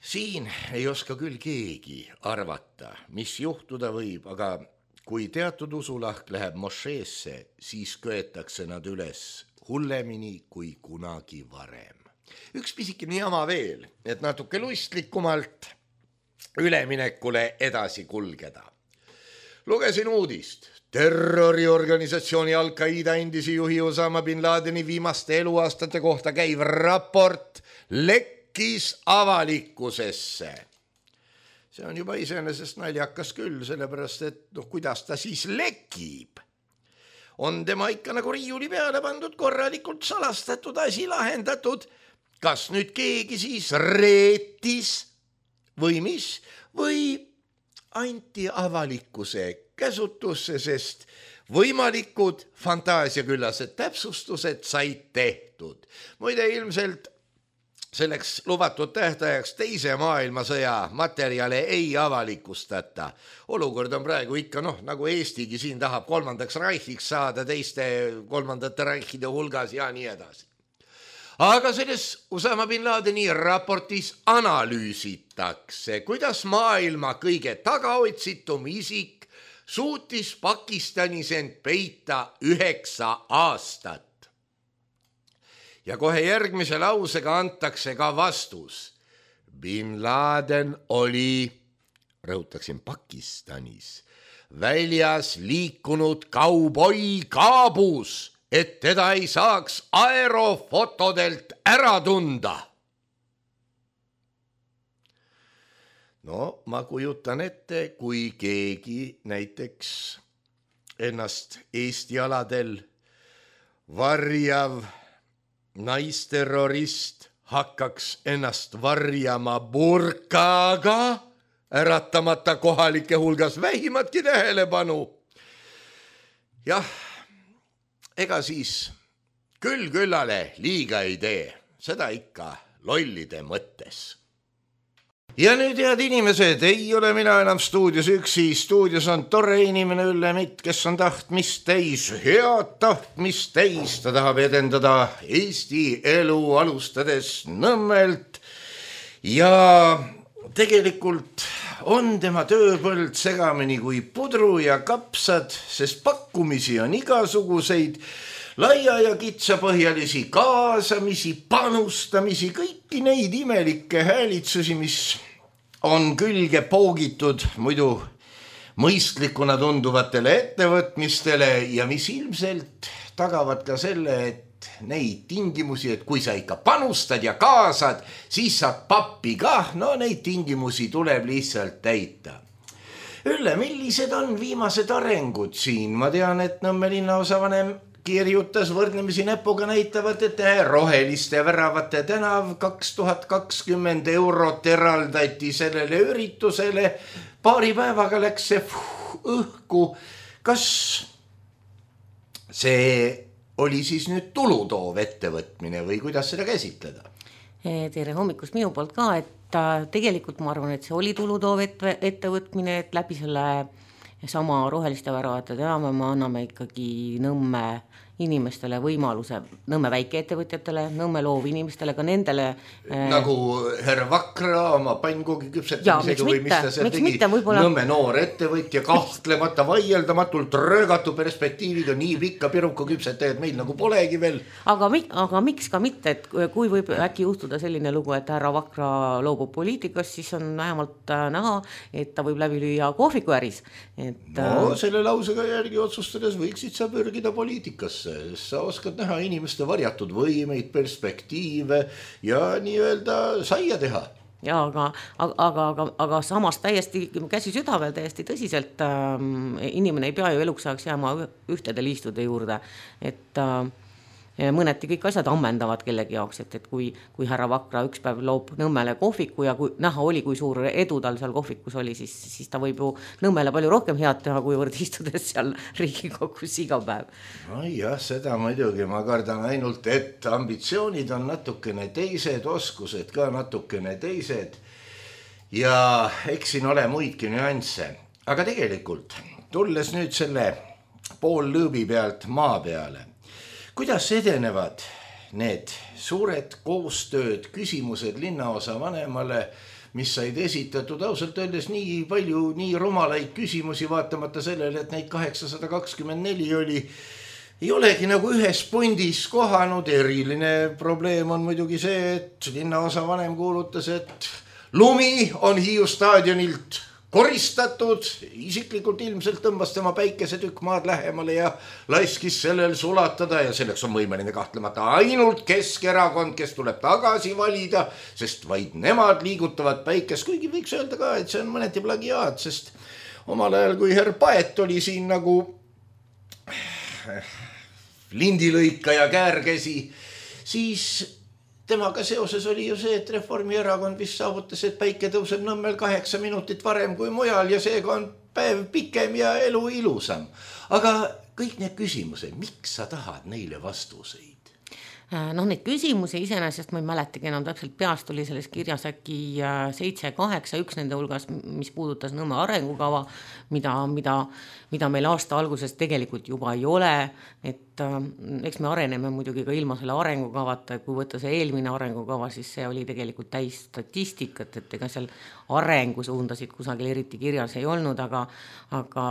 Speaker 3: Siin ei oska küll keegi arvata, mis juhtuda võib, aga kui teatud usulahk läheb mošeesse, siis köetakse nad üles hullemini kui kunagi varem. Üks pisikene jama veel, et natuke lustlikumalt üleminekule edasi kulgeda. Lugesin uudist. Terroriorganisatsiooni Al-Qaida endisi juhi Osama bin Ladeni viimaste eluaastate kohta käiv raport lekkis avalikkusesse. See on juba iseenesest naljakas küll, sellepärast et noh, kuidas ta siis lekib? On tema ikka nagu riiuli peale pandud, korralikult salastatud, asi lahendatud. Kas nüüd keegi siis reetis või mis, või anti avalikkuse käsutusse, sest võimalikud fantaasiaküllased täpsustused said tehtud. Muide, ilmselt selleks lubatud tähtajaks teise maailmasõja materjale ei avalikustata. Olukord on praegu ikka, noh, nagu Eestigi siin tahab kolmandaks raihiks saada teiste kolmandate raihide hulgas ja nii edasi. Aga selles Osama bin Ladeni raportis analüüsitakse, kuidas maailma kõige tagaotsitum isik suutis Pakistanis end peita üheksa aastat. Ja kohe järgmise lausega antakse ka vastus. Bin Laden oli, rõhutaksin Pakistanis, väljas liikunud kauboi kaabus, et teda ei saaks aerofotodelt ära tunda. No, ma kujutan ette, kui keegi näiteks ennast Eesti aladel varjav naisterrorist hakkaks ennast varjama burkaga, äratamata kohalike hulgas vähimatki tähelepanu. Jah, ega siis küll küllale liiga ei tee, seda ikka lollide mõttes. Ja nüüd, head inimesed, ei ole mina enam stuudios üksi, stuudios on tore inimene Ülle Mitt, kes on tahtmist täis, head tahtmist täis, ta tahab edendada Eesti elu alustades Nõmmelt ja tegelikult on tema tööpõld segamini kui pudru ja kapsad, sest pakkumisi on igasuguseid, laia ja kitsapõhjalisi kaasamisi, panustamisi, kõiki neid imelikke häälitsusi, mis on külge poogitud muidu mõistlikuna tunduvatele ettevõtmistele ja mis ilmselt tagavad ka selle, et neid tingimusi, et kui sa ikka panustad ja kaasad, siis saad pappi kah, no neid tingimusi tuleb lihtsalt täita. Ülle, millised on viimased arengud siin? Ma tean, et Nõmme linnaosavanem kirjutas võrdlemisi näpuga näitavat, et roheliste väravate tänav kaks tuhat kakskümmend eurot eraldati sellele üritusele. Paari päevaga läks see fuh, õhku. Kas see oli siis nüüd tulutoov ettevõtmine või kuidas seda käsitleda?
Speaker 4: Tere hommikust minu poolt ka, et tegelikult ma arvan, et see oli tulutoov ettevõtmine, et läbi selle sama roheliste väravate tänava me anname ikkagi Nõmme inimestele võimaluse, Nõmme väikeettevõtjatele, Nõmme loovinimestele, ka nendele
Speaker 3: äh... nagu härra Vakra oma pannkoogi küpsetamisega või mis ta seal tegi,
Speaker 4: võibolla...
Speaker 3: Nõmme noor ettevõtja, kahtlemata vaieldamatult röögatu perspektiiviga, nii pikka piruka küpsetajad meil nagu polegi veel.
Speaker 4: Aga, aga miks ka mitte, et kui võib äkki juhtuda selline lugu, et härra Vakra loobub poliitikast, siis on vähemalt näha, et ta võib läbi lüüa kohvikuäris. Et...
Speaker 3: No selle lausega järgi otsustades võiksid sa pürgida poliitikasse, sa oskad näha inimeste varjatud võimeid, perspektiive ja nii-öelda saia teha.
Speaker 4: Ja, aga, aga, aga, aga samas täiesti käsi südavel täiesti tõsiselt ähm, inimene ei pea ju eluks ajaks jääma ühtede liistude juurde, et äh, mõneti kõik asjad ammendavad kellegi jaoks, et, et kui, kui härra Vakra üks päev loob Nõmmele kohviku ja kui näha oli, kui suur edu tal seal kohvikus oli, siis, siis ta võib ju Nõmmele palju rohkem head teha, kuivõrd istudes seal Riigikogus iga päev.
Speaker 3: No jah, seda muidugi ma kardan ainult, et ambitsioonid on natukene teised, oskused ka natukene teised ja eks siin ole muidki nüansse. Aga tegelikult, tulles nüüd selle pool lõõbi pealt maa peale, kuidas edenevad need suured koostööd, küsimused linnaosa vanemale, mis said esitatud ausalt öeldes nii palju, nii rumalaid küsimusi, vaatamata sellele, et neid kaheksasada kakskümmend neli oli, ei olegi nagu ühes pundis kohanud. Eriline probleem on muidugi see, et linnaosa vanem kuulutas, et lumi on Hiiu staadionilt koristatud, isiklikult ilmselt tõmbas tema päikesetükk maad lähemale ja laiskis sellel sulatada ja selleks on võimeline kahtlemata ainult Keskerakond, kes tuleb tagasi valida, sest vaid nemad liigutavad päikest, kuigi võiks öelda ka, et see on mõneti plagiaat, sest omal ajal, kui herr Paet oli siin nagu lindilõika ja käärkäsi, siis temaga seoses oli ju see, et Reformierakond vist saavutas, et päike tõuseb Nõmmel kaheksa minutit varem kui mujal ja seega on päev pikem ja elu ilusam. Aga kõik need küsimused, miks sa tahad neile vastuseid?
Speaker 4: Noh, neid küsimusi iseenesest ma ei mäletagi enam täpselt peast, oli selles kirjas äkki seitse kaheksa, üks nende hulgas, mis puudutas Nõmme arengukava, mida, mida, mida meil aasta alguses tegelikult juba ei ole, et eks me areneme muidugi ka ilma selle arengukavata, kui võtta see eelmine arengukava, siis see oli tegelikult täis statistikat, et ega seal arengusuundasid kusagil eriti kirjas ei olnud, aga, aga,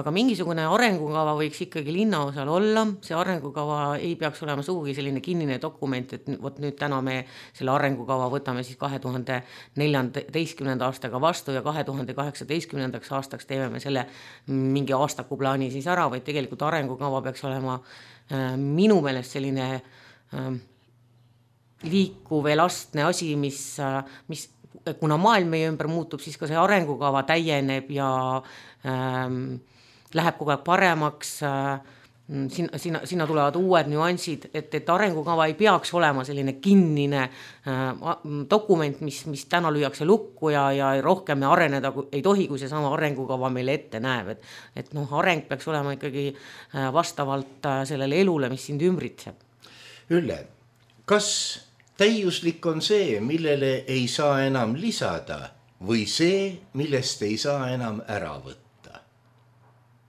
Speaker 4: aga mingisugune arengukava võiks ikkagi linnaosal olla, see arengukava ei peaks olema sugugi selline kinnine dokument, et võt nüüd täna me selle arengukava võtame siis kahe tuhande neljateistkümnenda aastaga vastu ja kahe tuhande kaheksateistkümnendaks aastaks teeme me selle mingi aastaku plaani siis ära, vaid tegelikult arengukava peaks olema äh, minu meelest selline äh, liikuv elastne asi, mis, äh, mis kuna maailm meie ümber muutub, siis ka see arengukava täieneb ja äh, läheb kogu aeg paremaks, äh, Sinna, sinna, sinna tulevad uued nüansid, et, et arengukava ei peaks olema selline kinnine äh, dokument, mis, mis täna lüüakse lukku ja, ja rohkem areneda ei tohi, kui see sama arengukava meile ette näeb. Et, et noh, areng peaks olema ikkagi äh, vastavalt äh, sellele elule, mis sind ümbritseb.
Speaker 3: Ülle, kas täiuslik on see, millele ei saa enam lisada või see, millest ei saa enam ära võtta?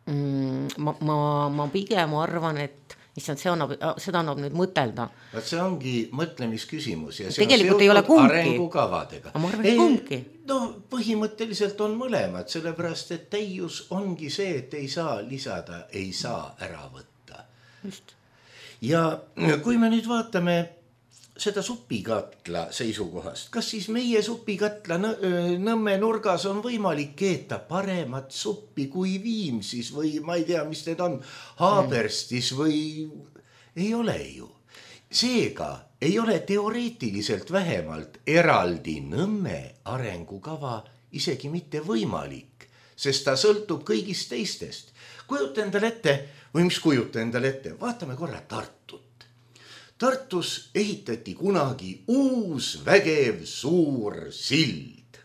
Speaker 4: Ma, ma, ma pigem arvan, et issand, see annab, seda annab nüüd mõtelda.
Speaker 3: See ongi mõtlemisküsimus ja see
Speaker 4: tegelikult
Speaker 3: on
Speaker 4: seotud
Speaker 3: arengukavadega.
Speaker 4: Ma arvan, et kumbki.
Speaker 3: No põhimõtteliselt on mõlemad, sellepärast, et täius ongi see, et ei saa lisada, ei saa ära võtta.
Speaker 4: Just.
Speaker 3: Ja kui me nüüd vaatame seda supikatla seisukohast, kas siis meie supikatla Nõmme nurgas on võimalik keeta paremat suppi kui Viimsis või ma ei tea, mis need on, Haaberstis või ei ole ju. Seega ei ole teoreetiliselt vähemalt eraldi Nõmme arengukava isegi mitte võimalik, sest ta sõltub kõigist teistest. Kujuta endale ette, või mis kujuta endale ette, vaatame korra Tartut. Tartus ehitati kunagi uus vägev suur sild,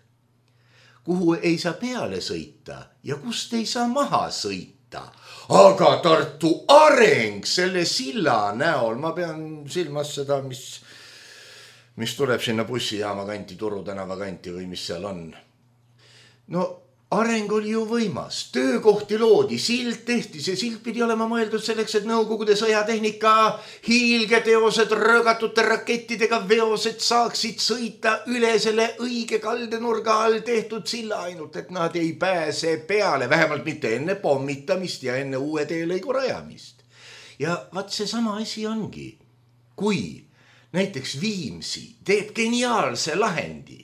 Speaker 3: kuhu ei saa peale sõita ja kust ei saa maha sõita. Aga Tartu areng selle silla näol, ma pean silmas seda, mis, mis tuleb sinna bussijaama kanti, Turu tänava kanti või mis seal on. No areng oli ju võimas, töökohti loodi, sild tehti, see sild pidi olema mõeldud selleks, et Nõukogude sõjatehnika hiilgeteosed röögatute rakettidega veosed saaksid sõita üle selle õige kaldenurga all tehtud silla, ainult et nad ei pääse peale, vähemalt mitte enne pommitamist ja enne uue teelõigu rajamist. Ja vaat see sama asi ongi, kui näiteks Viimsi teeb geniaalse lahendi,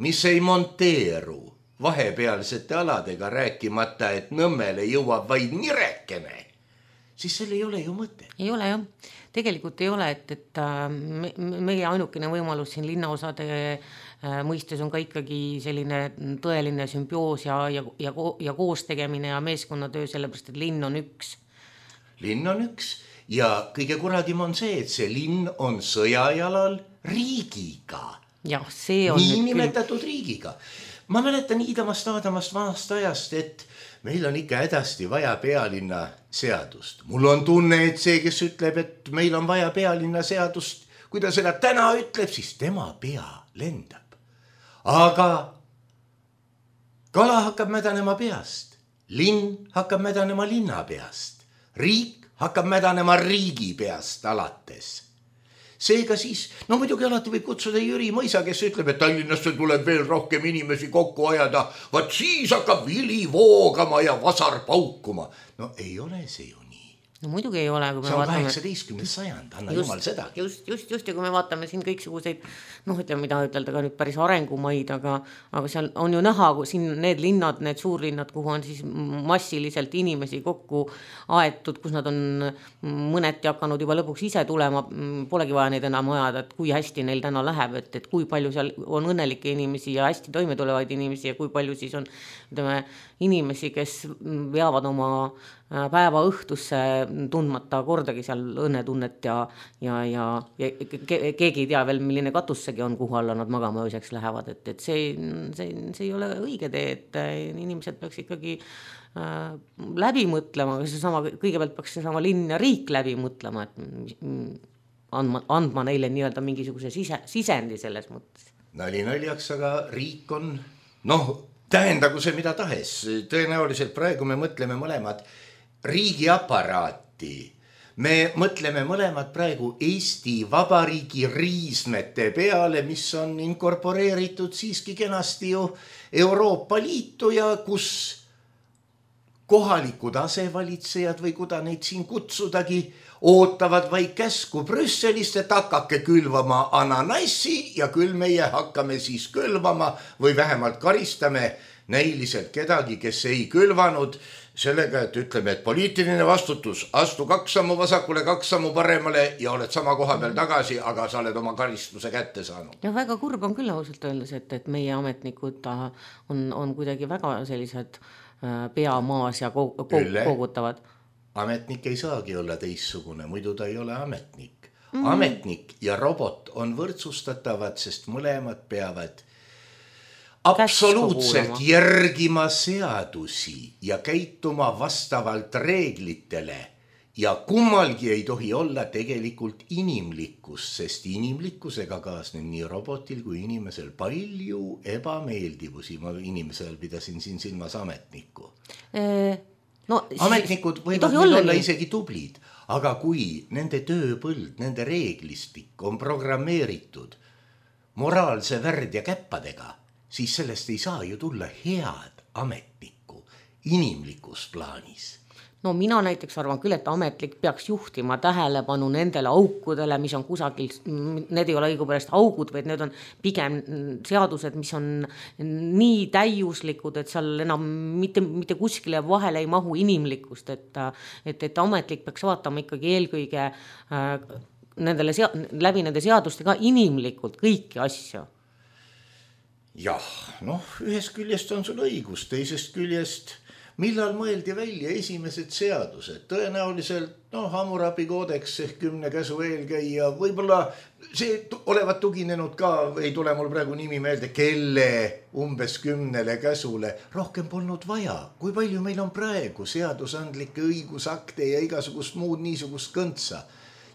Speaker 3: mis ei monteeru vahepealsete aladega, rääkimata, et Nõmmele jõuab vaid nirekene, siis seal ei ole ju mõte.
Speaker 4: Ei ole jah. Tegelikult ei ole, et, et me, meie ainukene võimalus siin linnaosade mõistes on ka ikkagi selline tõeline sümbioos ja, ja, ja, ja koos tegemine ja meeskonnatöö, sellepärast, et linn on üks.
Speaker 3: Linn on üks ja kõige kuradim on see, et see linn on sõjajalal riigiga.
Speaker 4: Jah, see on
Speaker 3: nii nimetatud küll... riigiga. Ma mäletan iidamast aadamast vanast ajast, et meil on ikka hädasti vaja pealinna seadust. Mul on tunne, et see, kes ütleb, et meil on vaja pealinna seadust, kui ta seda täna ütleb, siis tema pea lendab. Aga kala hakkab mädanema peast, linn hakkab mädanema linna peast, riik hakkab mädanema riigi peast alates. Seega siis, no muidugi alati võib kutsuda Jüri Mõisa, kes ütleb, et Tallinnasse tuleb veel rohkem inimesi kokku ajada, vaat siis hakkab vili voogama ja vasar paukuma. No ei ole see ju nii.
Speaker 4: No muidugi ei ole, kui me
Speaker 3: see on
Speaker 4: vaatame...
Speaker 3: kaheksateistkümnes sajand, anna
Speaker 4: just,
Speaker 3: jumal seda.
Speaker 4: Just, just, just, ja kui me vaatame siin kõiksuguseid, noh, ütleme, mida ütelda ka nüüd päris arengumaid, aga, aga seal on ju näha, kui siin need linnad, need suurlinnad, kuhu on siis massiliselt inimesi kokku aetud, kus nad on mõneti hakanud juba lõpuks ise tulema, polegi vaja neid enam ajada, et kui hästi neil täna läheb, et, et kui palju seal on õnnelikke inimesi ja hästi toime tulevaid inimesi ja kui palju siis on, ütleme, inimesi, kes veavad oma päeva õhtusse tundmata kordagi seal õnnetunnet ja, ja, ja, ja keegi ei tea veel, milline katussegi on, kuhu alla nad magama ööseks lähevad, et, et see, see, see ei ole õige tee, et inimesed peaks ikkagi äh, läbi mõtlema, see sama, kõigepealt peaks see sama linn ja riik läbi mõtlema, et andma, andma neile nii-öelda mingisuguse sise, sisendi selles mõttes.
Speaker 3: Nali naljaks, aga riik on, noh, tähendagu see mida tahes, tõenäoliselt praegu me mõtleme mõlemad riigiaparaati. Me mõtleme mõlemad praegu Eesti Vabariigi riismete peale, mis on inkorporeeritud siiski kenasti ju Euroopa Liitu ja kus kohalikud asevalitsejad või kuda neid siin kutsudagi ootavad vaid käsku Brüsselist, et hakake külvama ananassi ja küll meie hakkame siis külvama või vähemalt karistame näiliselt kedagi, kes ei külvanud sellega, et ütleme, et poliitiline vastutus, astu kaks sammu vasakule, kaks sammu paremale ja oled sama koha peal tagasi, aga sa oled oma karistuse kätte saanud.
Speaker 4: Ja väga kurb on küll ausalt öeldes, et, et meie ametnikud on, on kuidagi väga sellised peamaas ja koogutavad.
Speaker 3: Ametnik ei saagi olla teissugune, muidu ta ei ole ametnik. Mm. Ametnik ja robot on võrdsustatavad, sest mõlemad peavad absoluutselt järgima seadusi ja käituma vastavalt reeglitele ja kummalgi ei tohi olla tegelikult inimlikkus, sest inimlikkusega kaasneb nii robotil kui inimesel palju ebameeldivusi. Ma inimesel pidasin siin silmas ametnikku.
Speaker 4: Ee, no,
Speaker 3: ametnikud võivad olla, olla isegi tublid, aga kui nende tööpõld, nende reeglistik on programmeeritud moraalse värd ja käppadega, siis sellest ei saa ju tulla head ametnikku inimlikus plaanis.
Speaker 4: No mina näiteks arvan küll, et ametlik peaks juhtima tähelepanu nendele aukudele, mis on kusagil, need ei ole õigupärast augud, vaid need on pigem seadused, mis on nii täiuslikud, et seal enam mitte, mitte kuskile vahele ei mahu inimlikkust, et, et, et ametlik peaks vaatama ikkagi eelkõige äh, nendele sea- läbi nende seaduste ka inimlikult kõiki asju.
Speaker 3: Jah, noh, ühest küljest on sul õigus, teisest küljest, millal mõeldi välja esimesed seadused? Tõenäoliselt, noh, Hammurabi koodeks ehk kümne käsu eelkäija, võib-olla see olevat tuginenud ka, ei tule mul praegu nimi meelde, kelle umbes kümnele käsule, rohkem polnud vaja. Kui palju meil on praegu seadusandlikke õigusakte ja igasugust muud niisugust kõntsa?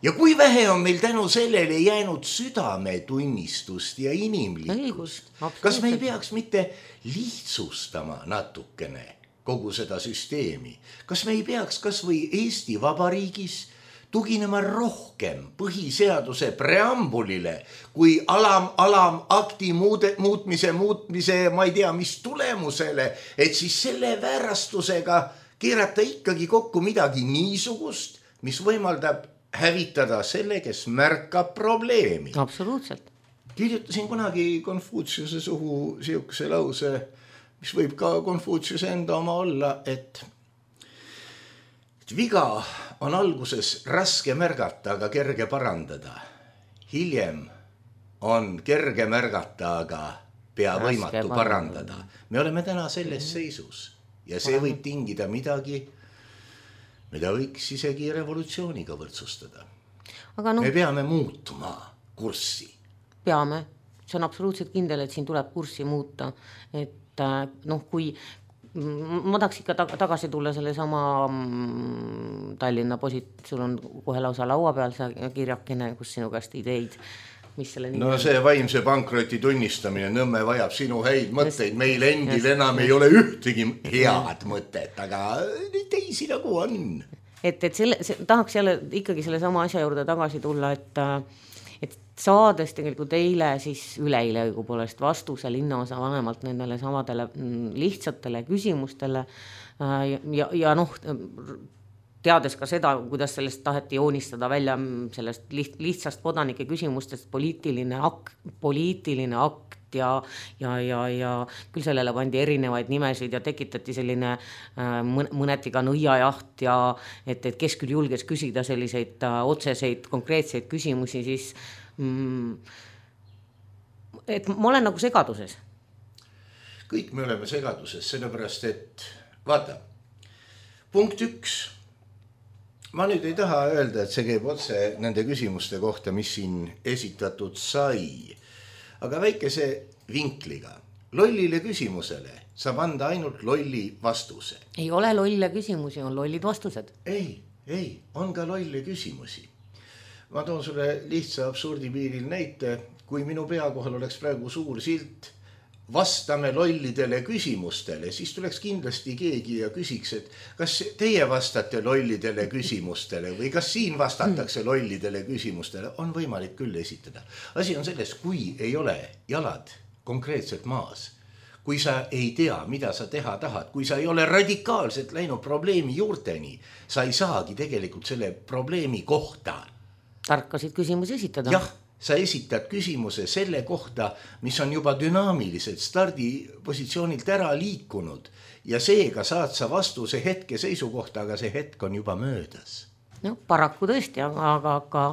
Speaker 5: ja kui vähe on meil tänu sellele jäänud südametunnistust ja inimlikkust. Kas me ei peaks mitte lihtsustama natukene kogu seda süsteemi? Kas me ei peaks kas või Eesti Vabariigis tuginema rohkem põhiseaduse preambulile kui alam, alam akti muude, muutmise, muutmise, ma ei tea, mis tulemusele, et siis selle väärastusega keerata ikkagi kokku midagi niisugust, mis võimaldab hävitada selle, kes märkab probleemi.
Speaker 4: Absoluutselt.
Speaker 5: Kirjutasin kunagi Konfutsiuse suhu siukse lause, mis võib ka Konfutsiuse enda oma olla, et, et viga on alguses raske märgata, aga kerge parandada. Hiljem on kerge märgata, aga pea raske võimatu parandada. Me oleme täna selles seisus ja see võib tingida midagi, mida võiks isegi revolutsiooniga võrdsustada. Aga no, me peame muutuma kurssi.
Speaker 4: Peame. See on absoluutselt kindel, et siin tuleb kurssi muuta. Et noh, kui ma tahaks ikka tagasi tulla selle sama Tallinna posit, sul on kohe lausa laua peal see kirjakene, kus sinu käest ideid.
Speaker 5: No see vaimse pankroti tunnistamine, Nõmme vajab sinu häid mõtteid, meil endil just, enam just. Ei ole ühtegi head mõtet, aga teisi nagu on.
Speaker 4: Et, et selle, see, tahaks jälle ikkagi selle sama asja juurde tagasi tulla, et, et saades tegelikult eile siis üleile õigupoolest vastuse linnaosa vanemalt nendele samadele lihtsatele küsimustele ja, ja, ja noh, teades ka seda, kuidas sellest taheti joonistada välja sellest lihtsast kodanike küsimustest poliitiline akt, poliitiline akt ja, ja, ja, ja küll sellele pandi erinevaid nimesid ja tekitati selline mõneti ka nõiajaht ja et, et kes küll julges küsida selliseid otseseid, konkreetseid küsimusi, siis mm, et ma olen nagu segaduses.
Speaker 5: Kõik me oleme segaduses, sellepärast et vaata, punkt üks, ma nüüd ei taha öelda, et see käib otse nende küsimuste kohta, mis siin esitatud sai. Aga väikese vinkliga. Lollile küsimusele saab anda ainult lolli vastuse.
Speaker 4: Ei ole lolle küsimusi, on lollid vastused.
Speaker 5: Ei, ei, on ka lolle küsimusi. Ma toon sulle lihtsa absurdipiiril näite. Kui minu pea kohal oleks praegu suur silt, vastame lollidele küsimustele, siis tuleks kindlasti keegi ja küsiks, et kas teie vastate lollidele küsimustele või kas siin vastatakse lollidele küsimustele, on võimalik küll esitada. Asi on selles, kui ei ole jalad konkreetselt maas, kui sa ei tea, mida sa teha tahad, kui sa ei ole radikaalselt läinud probleemi juurteni, sa ei saagi tegelikult selle probleemi kohta.
Speaker 4: Tarkasid küsimusi esitada.
Speaker 5: Jah. Sa esitad küsimuse selle kohta, mis on juba dünaamiliselt stardipositsioonilt ära liikunud ja seega saad sa vastuse hetke seisukohta, aga see hetk on juba möödas.
Speaker 4: No, paraku tõesti, aga, aga, aga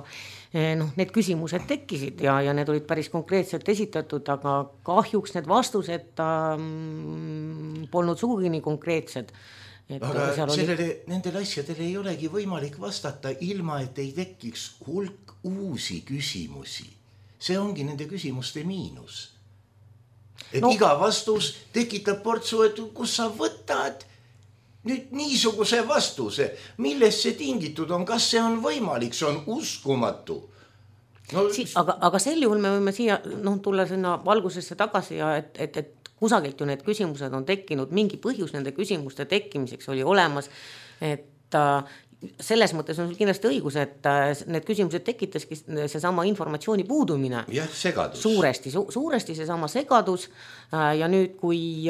Speaker 4: noh, need küsimused tekkisid ja, ja need olid päris konkreetselt esitatud, aga kahjuks need vastused ähm, polnud sugugi nii konkreetsed. Et
Speaker 5: aga sellele, oli... nendele asjadele ei olegi võimalik vastata ilma, et ei tekiks hulk uusi küsimusi. See ongi nende küsimuste miinus. Et no. Iga vastus tekitab portsu, et kus sa võtad nüüd niisuguse vastuse, millest see tingitud on, kas see on võimalik, see on uskumatu.
Speaker 4: No... Si, aga, aga sel juhul me võime siia no, tulla sinna valgusesse tagasi ja et, et, et kusagilt ju need küsimused on tekkinud, mingi põhjus nende küsimuste tekkimiseks oli olemas, et selles mõttes on sul kindlasti õigus, et need küsimused tekitaski see sama informatsiooni puudumine.
Speaker 5: Jah, segadus.
Speaker 4: Suuresti, su, suuresti see sama segadus ja nüüd, kui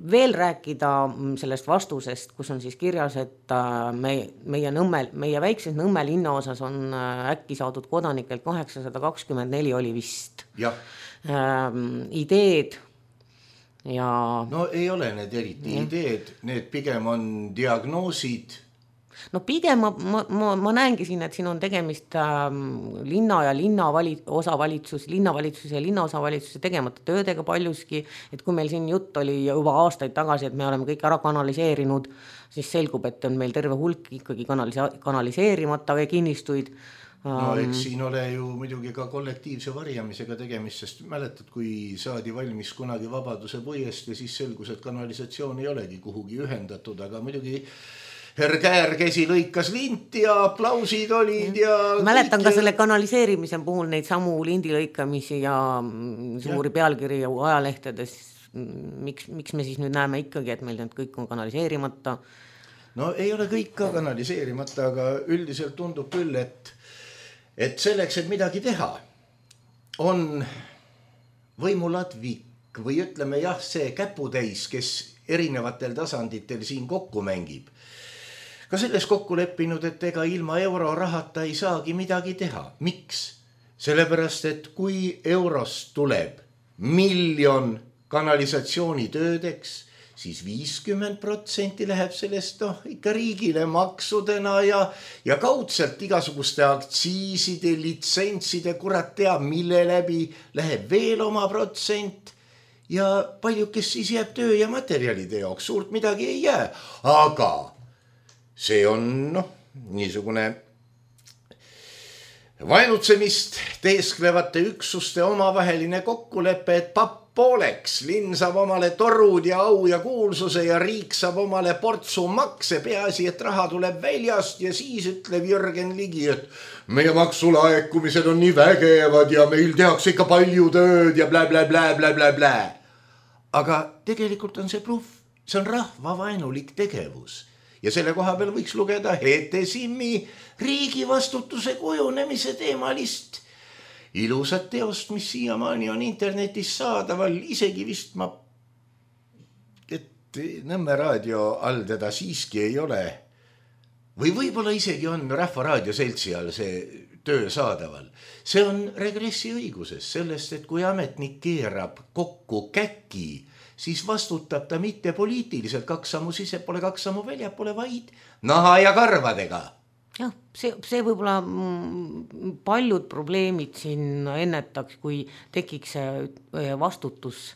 Speaker 4: veel rääkida sellest vastusest, kus on siis kirjas, et me, meie, nõmmel, meie väikses Nõmme linna osas on äkki saadud kodanikelt kaheksasada kakskümmend neli oli vist.
Speaker 5: Jah.
Speaker 4: Ähm, ideed ja...
Speaker 5: No ei ole need eriti ja. Ideed, need pigem on diagnoosid.
Speaker 4: No pigem ma, ma, ma, ma näengi siin, et siin on tegemist ähm, linna ja linna vali, osavalitsus, linnavalitsuse ja linnaosavalitsuse tegemata töödega paljuski, et kui meil siin jutt oli juba aastaid tagasi, et me oleme kõik ära kanaliseerinud, siis selgub, et on meil terve hulk ikkagi kanalise, kanaliseerimata või kinnistuid.
Speaker 5: No eks siin ole ju muidugi ka kollektiivse varjamisega tegemist, sest mäletad, kui saadi valmis kunagi Vabaduse puiest ja siis selgus, et kanalisatsioon ei olegi kuhugi ühendatud, aga muidugi käärkesi lõikas lint ja aplausid olid ja
Speaker 4: mäletan ka selle kanaliseerimise puhul neid samu lindi lõikamisi ja suuri ja. pealkiri ajalehtedes. Miks, miks me siis nüüd näeme ikkagi, et meil need kõik on kanaliseerimata?
Speaker 5: No ei ole kõik ka kanaliseerimata, aga üldiselt tundub küll, et, et selleks, et midagi teha, on võimuladvik või ütleme jah, see käputäis, kes erinevatel tasanditel siin kokku mängib. Ka selles kokku leppinud, et ega ilma eurorahata ei saagi midagi teha. Miks? Sellepärast, et kui eurost tuleb miljon kanalisatsioonitöödeks, siis viiskümmend protsenti läheb sellest noh, ikka riigile maksudena ja, ja kaudselt igasuguste aktsiiside, litsentside, kurat teab, mille läbi läheb veel oma protsent ja palju, kes siis jääb töö ja materjalide jaoks, suurt midagi ei jää. Aga see on noh, niisugune vaenutsemist teesklevate üksuste omavaheline kokkulepe, et papp pooleks, linn saab omale torud ja au ja kuulsuse ja riik saab omale portsu makse, peaasi, et raha tuleb väljast ja siis ütleb Jürgen Ligi, et meie maksulaekumised on nii vägevad ja meil tehakse ikka palju tööd ja blä, blä, blä, blä, blä, blä. Aga tegelikult on see bluff, see on rahvavaenulik tegevus ja selle koha peal võiks lugeda Hete Simmi riigi vastutuse kujunemise teemalist ilusat teost, mis siiamaani on internetis saadaval, isegi vist ma, et Nõmme raadio all teda siiski ei ole. Või võib-olla isegi on Rahva Raadioseltsi all see töö saadaval. See on regressi õiguses sellest, et kui ametnik keerab kokku käki, siis vastutab ta mitte poliitiliselt kaks sammu sissepoole, kaks sammu väljapole, vaid naha ja karvadega.
Speaker 4: Jah, see, see võib-olla paljud probleemid siin ennetaks, kui tekiks vastutus,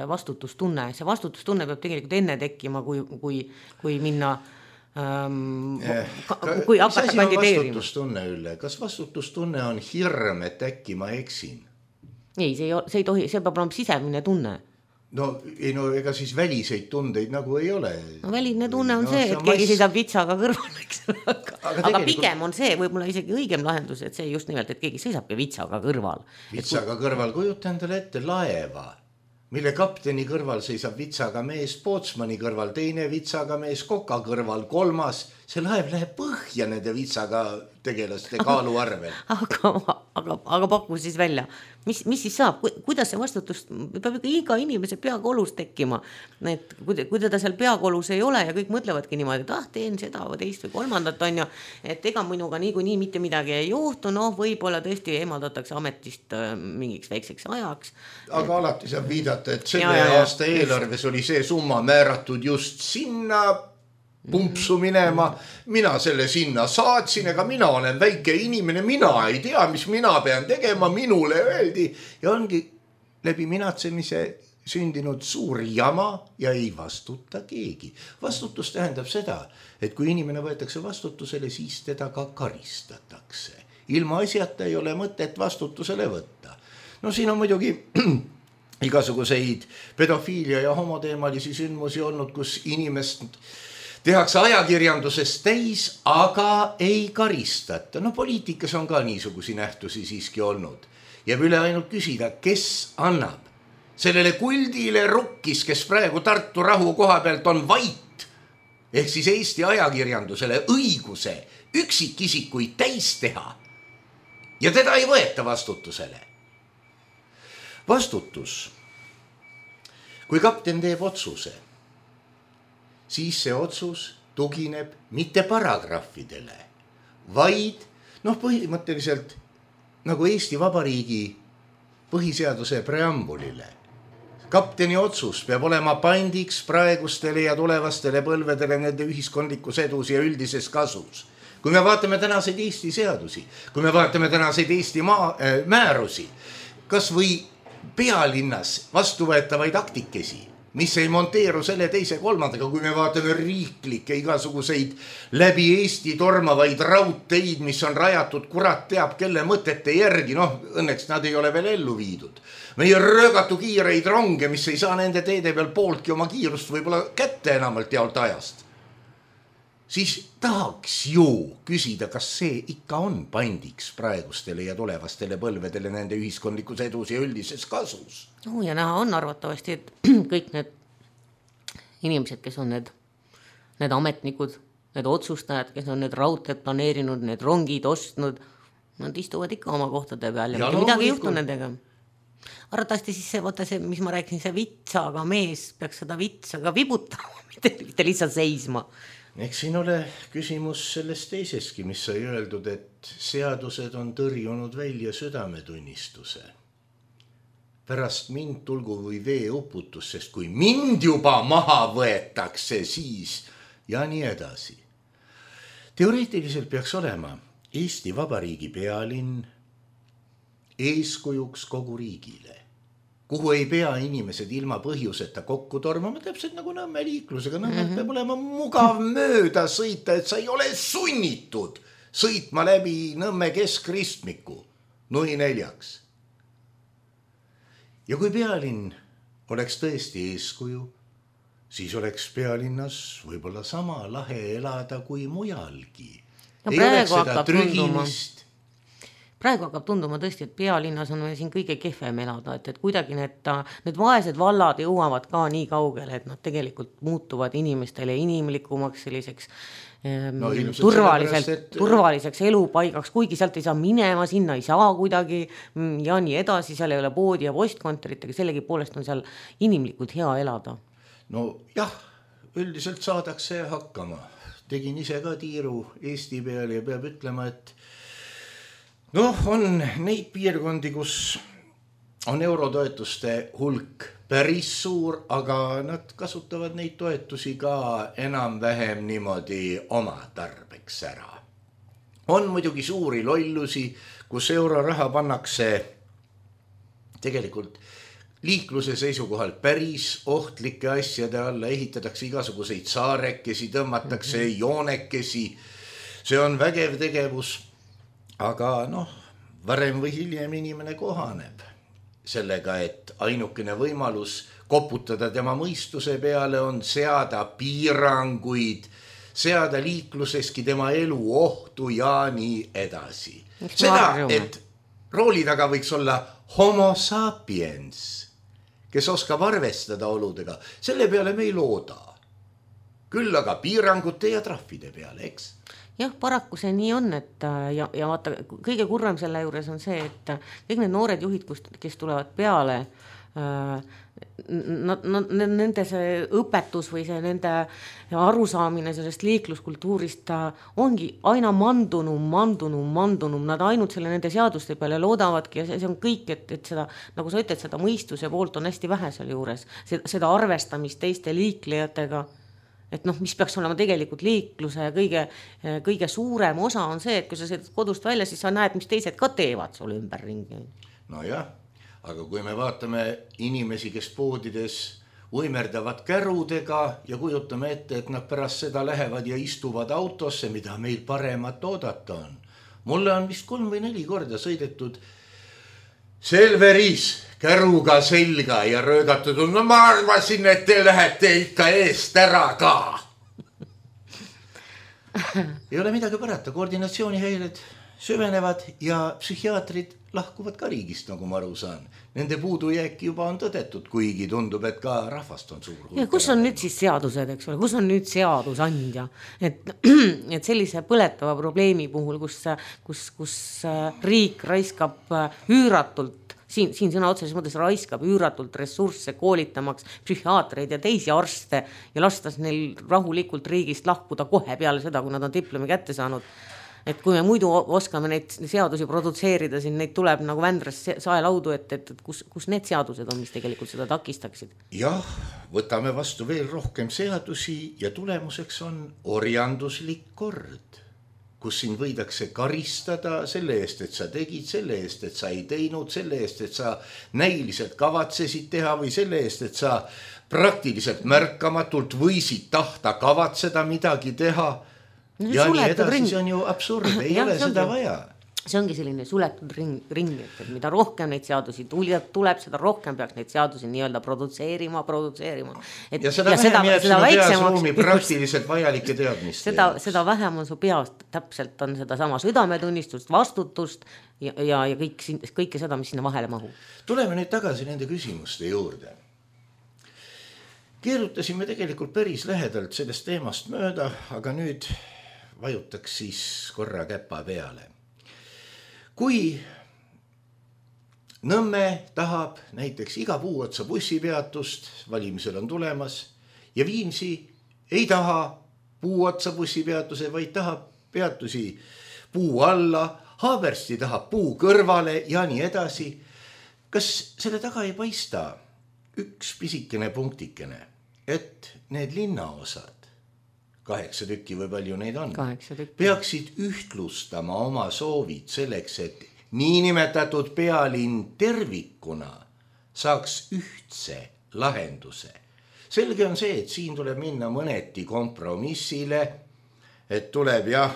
Speaker 4: vastutustunne. See vastutustunne peab tegelikult enne tekkima, kui, kui, kui minna, ähm, ka, kui hakata kandideerima.
Speaker 5: Vastutustunne üle. Kas vastutustunne on hirm, et äkki ma eksin?
Speaker 4: Ei, see ei, see ei tohi, see peab olema sisemine tunne.
Speaker 5: No, ei, no ega siis väliseid tundeid nagu ei ole.
Speaker 4: No väline tunne on no, see, et keegi seisab vitsaga kõrval, eks. Aga, aga, aga pigem on see võib-olla isegi õigem lahendus, et see just nimelt, et keegi seisabki vitsaga kõrval.
Speaker 5: Vitsaga kui... kõrval, kujuta endale ette laeva, mille kapteni kõrval seisab vitsaga mees, pootsmani kõrval teine vitsaga mees, koka kõrval kolmas. See laev läheb põhja nende vitsaga tegelaste kaalu arvel.
Speaker 4: Aga, aga, aga pakku siis välja. Mis, mis siis saab? Kuidas see vastutus peab iga inimese peakolus tekkima? Et kui, kui teda seal peakolus ei ole ja kõik mõtlevadki niimoodi, et ah, teen seda või teist või kolmandat on ju, et ega minuga nii kui nii mitte midagi ei juhtu, noh, võib-olla tõesti eemaldatakse ametist mingiks väikseks ajaks.
Speaker 5: Aga et... alati saab viidata, et selle ja, ja, aasta ja, eelarves just... oli see summa määratud just sinna pumpsu minema, mina selle sinna saatsin, ega mina olen väike inimene, mina ei tea, mis mina pean tegema, minule öeldi ja ongi läbi minatsemise sündinud suur jama ja ei vastuta keegi. Vastutus tähendab seda, et kui inimene võetakse vastutusele, siis teda ka karistatakse. Ilma asjata ei ole mõtet vastutusele võtta. No siin on muidugi igasuguseid pedofiilia ja homoteemalisi sündmusi olnud, kus inimest tehakse ajakirjandusest täis, aga ei karistata. No poliitikas on ka niisugusi nähtusi siiski olnud. Jääb üle ainult küsida, kes annab sellele kuldile rukkis, kes praegu Tartu rahu koha pealt on vait, ehk siis Eesti ajakirjandusele õiguse üksikisikuid täis teha ja teda ei võeta vastutusele. Vastutus. Kui kapten teeb otsuse, siis see otsus tugineb mitte paragrahvidele, vaid noh, põhimõtteliselt nagu Eesti Vabariigi põhiseaduse preambulile. Kapteni otsus peab olema pandiks praegustele ja tulevastele põlvedele nende ühiskondlikus edus ja üldises kasus. Kui me vaatame tänaseid Eesti seadusi, kui me vaatame tänaseid Eesti maa, äh, määrusi, kas või pealinnas vastuvõetavaid aktikesi, mis ei monteeru selle teise kolmandaga, kui me vaatame riiklikke igasuguseid läbi Eesti tormavaid raudteid, mis on rajatud kurat teab kelle mõtete järgi, noh õnneks nad ei ole veel ellu viidud. Meie röögatu kiireid ronge, mis ei saa nende teede peal pooltki oma kiirust võib-olla kätte enamalt jaolt ajast. siis tahaks ju küsida, kas see ikka on pandiks praegustele ja tulevastele põlvedele nende ühiskondlikus edus ja üldises kasus.
Speaker 4: No, ja näha on arvatavasti, et kõik need inimesed, kes on need, need ametnikud, need otsustajad, kes on need raudteed planeerinud, need rongid ostnud, nad istuvad ikka oma kohtade peal ja, ja no, midagi ei juhtu nendega. Arvatavasti siis see, vaata see, mis ma rääkisin, see vitsaga mees peaks seda vitsaga vibutama, mitte, mitte lihtsalt seisma.
Speaker 5: Eks siin ole küsimus sellest teiseski, mis sai öeldud, et seadused on tõrjunud välja südametunnistuse. Pärast mind tulgu või vee uputus, sest kui mind juba maha võetakse, siis ja nii edasi. Teoreetiliselt peaks olema Eesti Vabariigi pealinn eeskujuks kogu riigile, kuhu ei pea inimesed ilma põhjuseta kokku tormama, täpselt nagu Nõmme liiklusega. Nõmmelt mm-hmm. peab olema mugav mööda sõita, et sa ei ole sunnitud sõitma läbi Nõmme keskristmiku nui neljaks. Ja kui pealinn oleks tõesti eeskuju, siis oleks pealinnas võib-olla sama lahe elada kui mujalgi.
Speaker 4: No, ei oleks seda trügimist. Praegu hakkab tunduma tõesti, et pealinnas on siin kõige kehvem elada, et, et kuidagi need, need vaesed vallad jõuavad ka nii kaugele, et nad tegelikult muutuvad inimestele inimlikumaks selliseks no, turvaliselt, et... turvaliseks elupaigaks, kuigi sealt ei saa minema, sinna ei saa kuidagi ja nii edasi, seal ei ole poodi ja postkontorit, aga sellegi poolest on seal inimlikult hea elada.
Speaker 5: No jah, üldiselt saadakse hakkama. Tegin ise ka tiiru Eesti peal ja peab ütlema, et noh, on neid piirkondi, kus on eurotoetuste hulk päris suur, aga nad kasutavad neid toetusi ka enam-vähem niimoodi oma tarbeks ära. On muidugi suuri lollusi, kus euroraha pannakse tegelikult liikluse seisukohal päris ohtlike asjade alla, ehitatakse igasuguseid saarekesi, tõmmatakse mm-hmm. joonekesi. See on vägev tegevus. Aga noh, varem või hiljem inimene kohaneb sellega, et ainukene võimalus koputada tema mõistuse peale on seada piiranguid, seada liikluseski tema elu ohtu ja nii edasi. Seda, et rooli taga võiks olla homo sapiens, kes oskab arvestada oludega, selle peale me ei looda. Küll aga piirangute ja trahvide peale, eks?
Speaker 4: Jah, paraku see nii on, et ja, ja vaata, kõige kurvem selle juures on see, et kõik need noored juhid, kes tulevad peale, nad, nad, nende see õpetus või see nende arusaamine sellest liikluskultuurist ongi aina mandunum, mandunum, mandunum, nad ainult selle nende seaduste peale loodavadki ja see, see on kõik, et, et seda, nagu sa ütled, seda mõistuse poolt on hästi vähe seal juures, seda arvestamist teiste liiklejatega. Et noh, mis peaks olema tegelikult liikluse kõige, kõige suurem osa on see, et kui sa sõidad kodust välja, siis sa näed, mis teised ka teevad sul ümber ringi.
Speaker 5: No jah, aga kui me vaatame inimesi, kes poodides uimerdavad kärudega ja kujutame ette, et nad pärast seda lähevad ja istuvad autosse, mida meil paremat oodata on. Mulle on vist kolm või neli korda sõidetud Selveris käruga selga ja röögatud, no ma arvasin, et te lähete ikka eest ära ka. Ei ole midagi parata, koordinatsioonihäired süvenevad ja psühhiaatrid lahkuvad ka riigist, nagu ma aru saan. Nende puudujääk juba on tõdetud, kuigi tundub, et ka rahvast on suur.
Speaker 4: Ja kus on nüüd siis seadused, eks ole, kus on nüüd seadusandja? Et, et sellise põletava probleemi puhul, kus, kus, kus riik raiskab üüratult, siin, siin sõna otseses mõttes raiskab üüratult ressursse koolitamaks psühhiaatreid ja teisi arste ja lastas neil rahulikult riigist lahkuda kohe peale seda, kui nad on diplomi kätte saanud. Et kui me muidu oskame neid seadusi produtseerida, siin neid tuleb nagu Vändras saelaudu, et, et, et kus, kus need seadused on, mis tegelikult seda takistaksid?
Speaker 5: Jah, võtame vastu veel rohkem seadusi ja tulemuseks on orjanduslik kord, kus siin võidakse karistada selle eest, et sa tegid, selle eest, et sa ei teinud, selle eest, et sa näiliselt kavatsesid teha või selle eest, et sa praktiliselt märkamatult võisid tahta kavatseda midagi teha. No, ja nii edasi, ring. See on ju absurd, ei ja, ole seda vaja.
Speaker 4: see ongi selline suletud ring, ring, et mida rohkem neid seadusi tuleb, seda rohkem peaks neid seadusi nii-öelda produtseerima, produtseerima. Et,
Speaker 5: ja seda ja vähem jääb sinu peasruumi praktiliselt vajalike teadmist.
Speaker 4: Seda, seda vähem on su peast, täpselt on seda sama südametunnistust, vastutust ja, ja, ja kõik, kõike seda, mis sinna vahele mahub.
Speaker 5: Tuleme nüüd tagasi nende küsimuste juurde. Keerutasime tegelikult päris lähedalt sellest teemast mööda, aga nüüd vajutaks siis korra käpa peale. Kui Nõmme tahab näiteks iga puu otsa bussipeatust, valimisel on tulemas, ja Viimsi ei taha puu otsa bussipeatuse, vaid tahab peatusi puu alla, Haabersti tahab puu kõrvale ja nii edasi. Kas selle taga ei paista üks pisikene punktikene, et need linnaosad, kaheksa tükki või palju neid on, peaksid ühtlustama oma soovid selleks, et niinimetatud pealinn tervikuna saaks ühtse lahenduse. Selge on see, et siin tuleb minna mõneti kompromissile, et tuleb jah,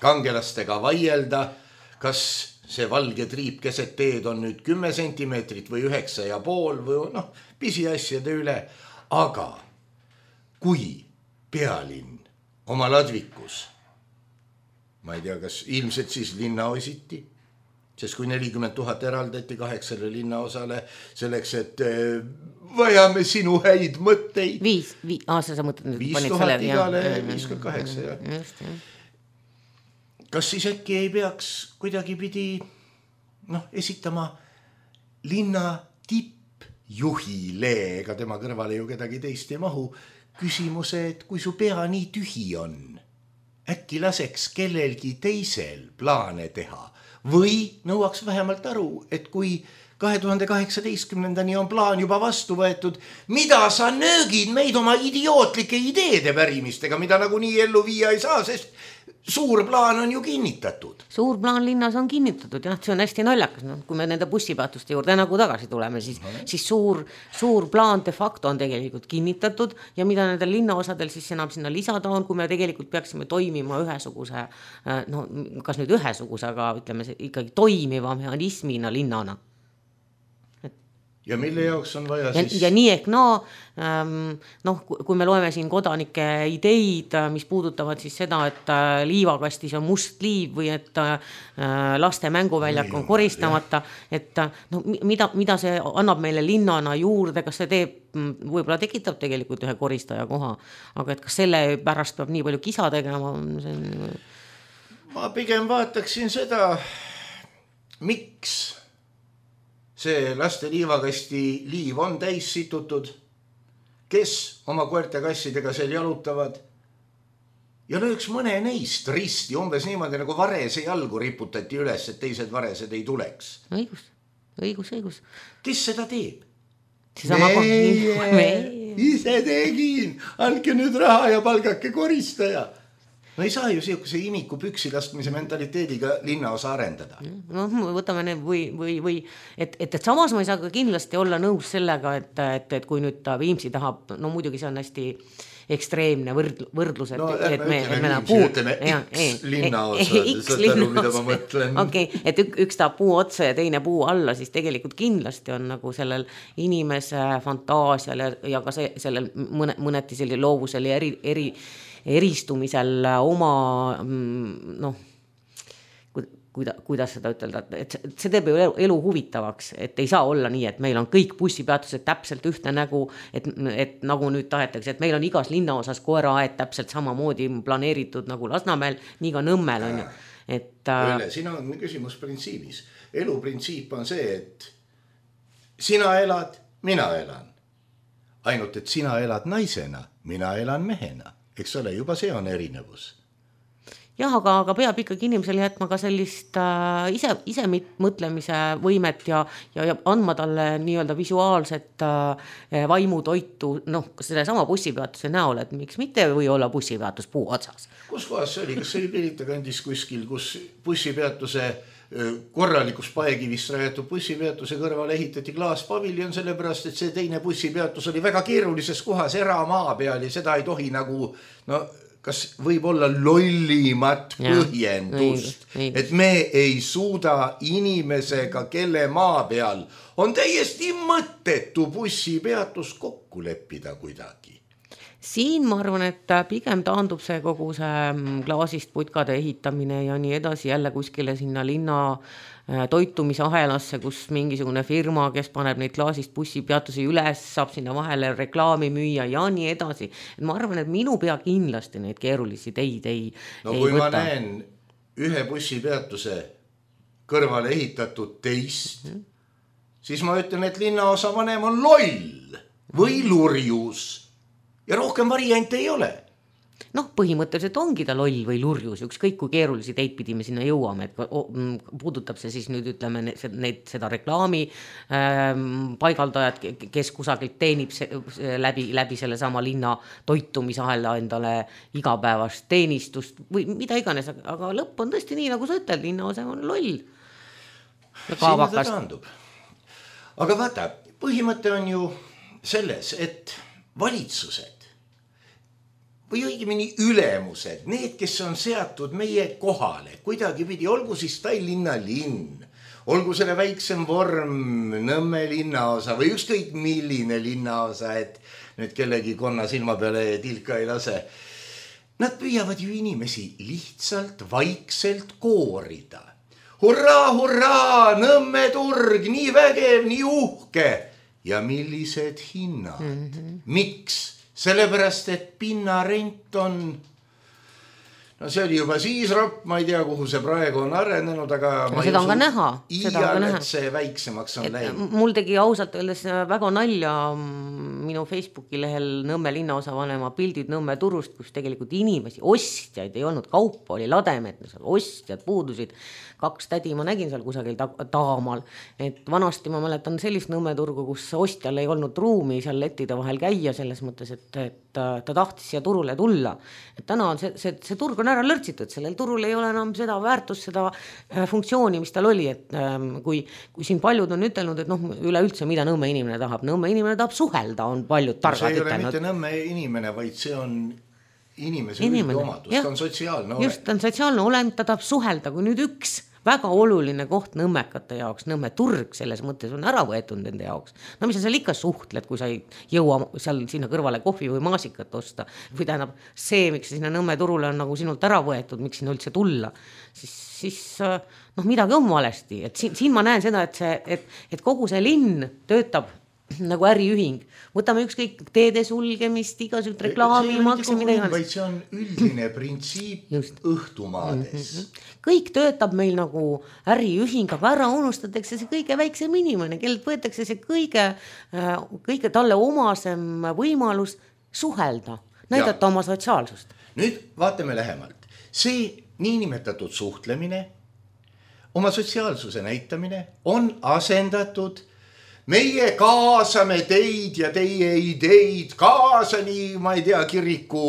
Speaker 5: kangelastega vaielda, kas see valge triip keset teed on nüüd kümme sentimeetrit või üheksa ja pool või noh, pisiasjade üle, aga kui pealinn oma ladvikus, ma ei tea, kas ilmselt siis linnaositi, sest kui nelikümmend tuhat eraldati kaheksale linnaosale selleks, et vajame sinu häid mõtteid.
Speaker 4: Viis, viis, aasta sa mõtled nüüd.
Speaker 5: Viis tuhat igale, viiskümmend kaheksa, jah. Just, jah. Kas siis äkki ei peaks kuidagi pidi noh, esitama linna tippjuhile, ega tema kõrvale ju kedagi teist ei mahu, küsimuse, et kui su pea nii tühi on, äkki laseks kellelgi teisel plaane teha või nõuaks vähemalt aru, et kui kahe tuhande kaheksateistkümnendani on plaan juba vastu võetud, mida sa nöögid meid oma idiootlike ideede pärimistega, mida nagu nii ellu viia ei saa, sest suur plaan on ju kinnitatud.
Speaker 4: Suur plaan linnas on kinnitatud, jah, see on hästi naljakas. No, kui me nende bussipeatuste juurde nagu tagasi tuleme, siis, no. siis suur, suur plaan de facto on tegelikult kinnitatud ja mida nendel linnaosadel siis enam sinna lisada on, kui me tegelikult peaksime toimima ühesuguse, no kas nüüd ühesuguse, aga ütleme ikkagi toimiva mehhanismina linnana.
Speaker 5: Ja mille jaoks on vaja
Speaker 4: ja,
Speaker 5: siis...
Speaker 4: Ja nii ehk no, ähm, noh, kui me loeme siin kodanike ideid, mis puudutavad siis seda, et äh, liivakastis on must liiv või et äh, laste mänguväljak on koristamata, et äh, no, mida, mida see annab meile linnana juurde, kas see teeb, võib-olla tekitab tegelikult ühe koristaja koha, aga et kas selle pärast peab nii palju kisa tegema? See on...
Speaker 5: Ma pigem vaataksin seda, miks see laste liivakasti liiv on täis situtud, kes oma koerte kassidega seal jalutavad ja lööks mõne neist risti umbes niimoodi, nagu varese jalgu riputati üles, et teised varesed ei tuleks.
Speaker 4: Õigus, õigus, õigus.
Speaker 5: Kes seda teeb?
Speaker 4: Meie,
Speaker 5: meie, ise tegin, andke nüüd raha ja palgake koristaja. No ei saa ju siukese imiku püksi laskmise mentaliteediga linnaosa arendada.
Speaker 4: No võtame need või, või, või et, et, et samas ma ei saa ka kindlasti olla nõus sellega, et, et, et kui nüüd Viimsi tahab, no muidugi see on hästi ekstreemne võrd, võrdlus, et,
Speaker 5: no,
Speaker 4: et me,
Speaker 5: ütleme,
Speaker 4: et me
Speaker 5: Viimsi, ütleme ja, X linnaosa, saad aru, mida ma mõtlen.
Speaker 4: Okei, okay, et ük, üks tahab puu otsa ja teine puu alla, siis tegelikult kindlasti on nagu sellel inimese fantaasial ja, ja ka see, sellel mõne, mõneti selline loovusel ja eri, eri eristumisel oma noh, kuida, kuidas seda ütelda, et see teeb ju elu huvitavaks, et ei saa olla nii, et meil on kõik bussipeatused täpselt ühte nägu, et, et nagu nüüd tahetakse, et meil on igas linnaosas koeraaed täpselt samamoodi planeeritud nagu Lasnamäel, nii ka Nõmmel on ju. Et,
Speaker 5: Õlle, siin on küsimus printsiibis. Elu printsiip on see, et sina elad, mina elan. Ainult, et sina elad naisena, mina elan mehena. Eks ole, juba see on erinevus.
Speaker 4: Jah, aga, aga peab ikkagi inimesel jätma ka sellist äh, ise, ise mõtlemise võimet ja, ja, ja andma talle nii-öelda visuaalset äh, vaimutoitu, noh, selle sama bussipeatuse näol, et miks mitte või olla bussipeatus puu otsas.
Speaker 5: Kus kohas see oli? Kas see oli Pirita kandis kuskil, kus bussipeatuse korralikus paekivist rajatud bussipeatuse kõrval ehitati klaaspaviljon, sellepärast, et see teine bussipeatus oli väga keerulises kohas eramaa peal ja seda ei tohi nagu no, kas võib olla lollimat põhjendust, et me ei suuda inimesega, kelle maa peal on täiesti mõttetu bussipeatus kokku leppida kuidagi.
Speaker 4: Siin ma arvan, et pigem taandub see kogu see klaasist putkade ehitamine ja nii edasi jälle kuskile sinna linna toitumisahelasse, kus mingisugune firma, kes paneb neid klaasist bussipeatusi üles, saab sinna vahele reklaami müüa ja nii edasi. Et ma arvan, et minu pea kindlasti neid keerulisi teid ei
Speaker 5: No
Speaker 4: ei
Speaker 5: kui
Speaker 4: võta.
Speaker 5: ma näen ühe bussipeatuse kõrvale ehitatud teist, mm-hmm. siis ma ütlen, et linnaosa vanem on loll või lurjus ja rohkem variante ei ole.
Speaker 4: Noh, põhimõtteliselt ongi ta loll või lurjus, ükskõik kui keerulisi teid pidi me sinna jõuame, et puudutab see siis nüüd ütleme neid, seda reklaami ähm, paigaldajad, kes kusagilt teenib se, läbi, läbi selle sama linna toitumisahela endale igapäevast teenistust või mida iganes, aga lõpp on tõesti nii, nagu sa ütled, linnaosa on loll.
Speaker 5: Sinna ta taandub. Aga vaata, põhimõte on ju selles, et valitsused või õigemini ülemused, need, kes on seatud meie kohale, kuidagi pidi, olgu siis Tallinna linn, olgu selle väiksem vorm Nõmme linnaosa või ükskõik milline linnaosa, et nüüd kellegi konna silma peale tilka ei lase. Nad püüavad ju inimesi lihtsalt vaikselt koorida. Hurraa, hurraa, Nõmme turg, nii vägev, nii uhke. Ja millised hinnad? Mm-hmm. Miks? Sellepärast, et pinnarent on, no see oli juba siis ropp, ma ei tea, kuhu see praegu on arenenud, aga
Speaker 4: no, seda on ka näha.
Speaker 5: Iial, et see väiksemaks on läinud.
Speaker 4: Mul tegi ausalt öeldes väga nalja minu Facebooki lehel Nõmme linnaosavanema pildid Nõmme turust, kus tegelikult inimesi, ostjaid ei olnud, kaupa oli lademet, ostjad puudusid. Kaks tädi ma nägin seal kusagil taamal, et vanasti ma mäletan sellist Nõmme turgu, kus ostjal ei olnud ruumi seal lettide vahel käia selles mõttes, et, et ta tahtis siia turule tulla. Et täna on see, see, see turg on ära lörtsitud, sellel turul ei ole enam seda väärtust, seda funktsiooni, mis tal oli, et kui, kui siin paljud on ütelnud, et noh, üleüldse mida Nõmme inimene tahab, Nõmme inimene tahab suhelda, on paljud targad
Speaker 5: ütelnud. See ei ole
Speaker 4: ütelnud.
Speaker 5: mitte Nõmme inimene, vaid see on inimese üldomadus, ta on sotsiaalne olem.
Speaker 4: Just, ta on sotsiaalne olem, ta tahab suhelda, kui nüüd üks väga oluline koht nõmmekate jaoks, Nõmme turg selles mõttes on ära võetud nende jaoks. No mis sa seal ikka suhtled, kui sa ei jõua seal sinna kõrvale kohvi või maasikat osta. Või tähendab see, miks sinna Nõmme turule on nagu sinult ära võetud, miks sinna üldse tulla, siis, siis noh, midagi on valesti. Et siin, siin ma näen seda, et, see, et, et kogu see linn töötab nagu äriühing. Võtame ükskõik teede sulgemist, igasugust reklaami, makse, mida iganes.
Speaker 5: Vaid see on üldine printsiip õhtumaades.
Speaker 4: Mm-hmm. Kõik töötab meil nagu äriühing, aga ära unustatakse see kõige väiksem inimene, kellelt võetakse see kõige, kõige talle omasem võimalus suhelda, näidata ja oma sotsiaalsust.
Speaker 5: Nüüd vaatame lähemalt. See niinimetatud suhtlemine, oma sotsiaalsuse näitamine on asendatud meie kaasame teid ja teie ideid kaasa nii, ma ei tea, kiriku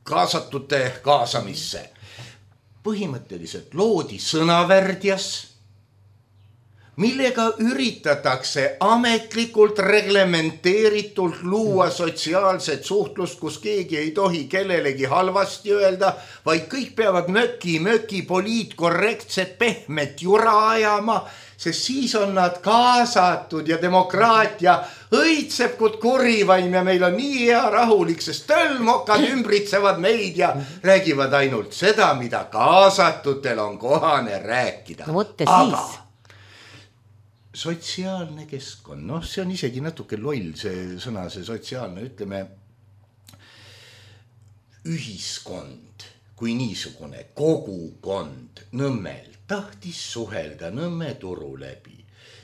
Speaker 5: kaasatute kaasamisse. Põhimõtteliselt loodi sõnavärdjas, millega üritatakse ametlikult reglementeeritult luua sotsiaalset suhtlust, kus keegi ei tohi kellelegi halvasti öelda, vaid kõik peavad möki, möki, poliitkorrektset, pehmet jura ajama, sest siis on nad kaasatud ja demokraatia õitseb kui kurivaim ja meil on nii hea rahulik, sest tölmokad ümbritsevad meid ja räägivad ainult seda, mida kaasatutel on kohane rääkida.
Speaker 4: No võtte
Speaker 5: aga
Speaker 4: siis.
Speaker 5: Sotsiaalne keskkond, noh, see on isegi natuke loll see sõna, see sotsiaalne, ütleme ühiskond kui niisugune kogukond Nõmmel tahtis suhelda Nõmme turu läbi.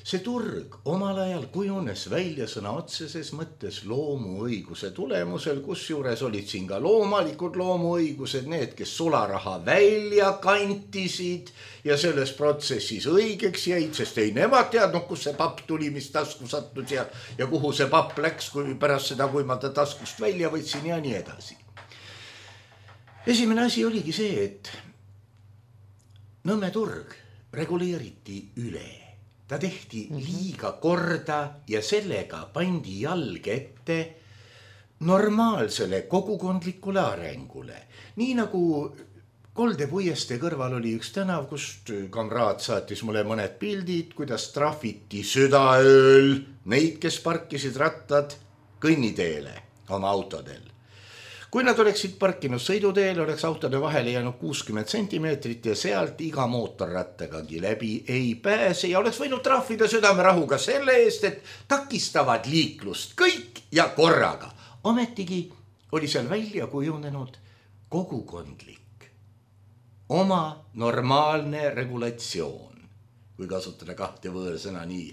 Speaker 5: See turg omal ajal kujunes välja sõna otseses mõttes loomuõiguse tulemusel, kus juures olid siin ka loomalikud loomuõigused, need, kes sularaha välja kantisid ja selles protsessis õigeks jäid, sest ei nemad teadnud, kus see papp tuli, mis tasku sattus ja, ja kuhu see papp läks, kui pärast seda, kui ma ta taskust välja võtsin ja nii edasi. Esimene asi oligi see, et Nõmme turg reguleeriti üle. Ta tehti liiga korda ja sellega pandi jalg ette normaalsele kogukondlikule arengule. Nii nagu Kolde puiestee kõrval oli üks tänav, kust kamraad saatis mulle mõned pildid, kuidas trahviti südaööl neid, kes parkisid rattad kõnniteele oma autodel. Kui nad oleksid parkinud sõiduteel, oleks autode vahele jäänud kuuskümmend sentimeetrit ja sealt iga mootorrattagagi läbi ei pääse ja oleks võinud trahvida südamerahuga selle eest, et takistavad liiklust kõik ja korraga. Ometigi oli seal välja kujunenud kogukondlik, oma normaalne regulatsioon, kui kasutada kahte võõrsõna nii.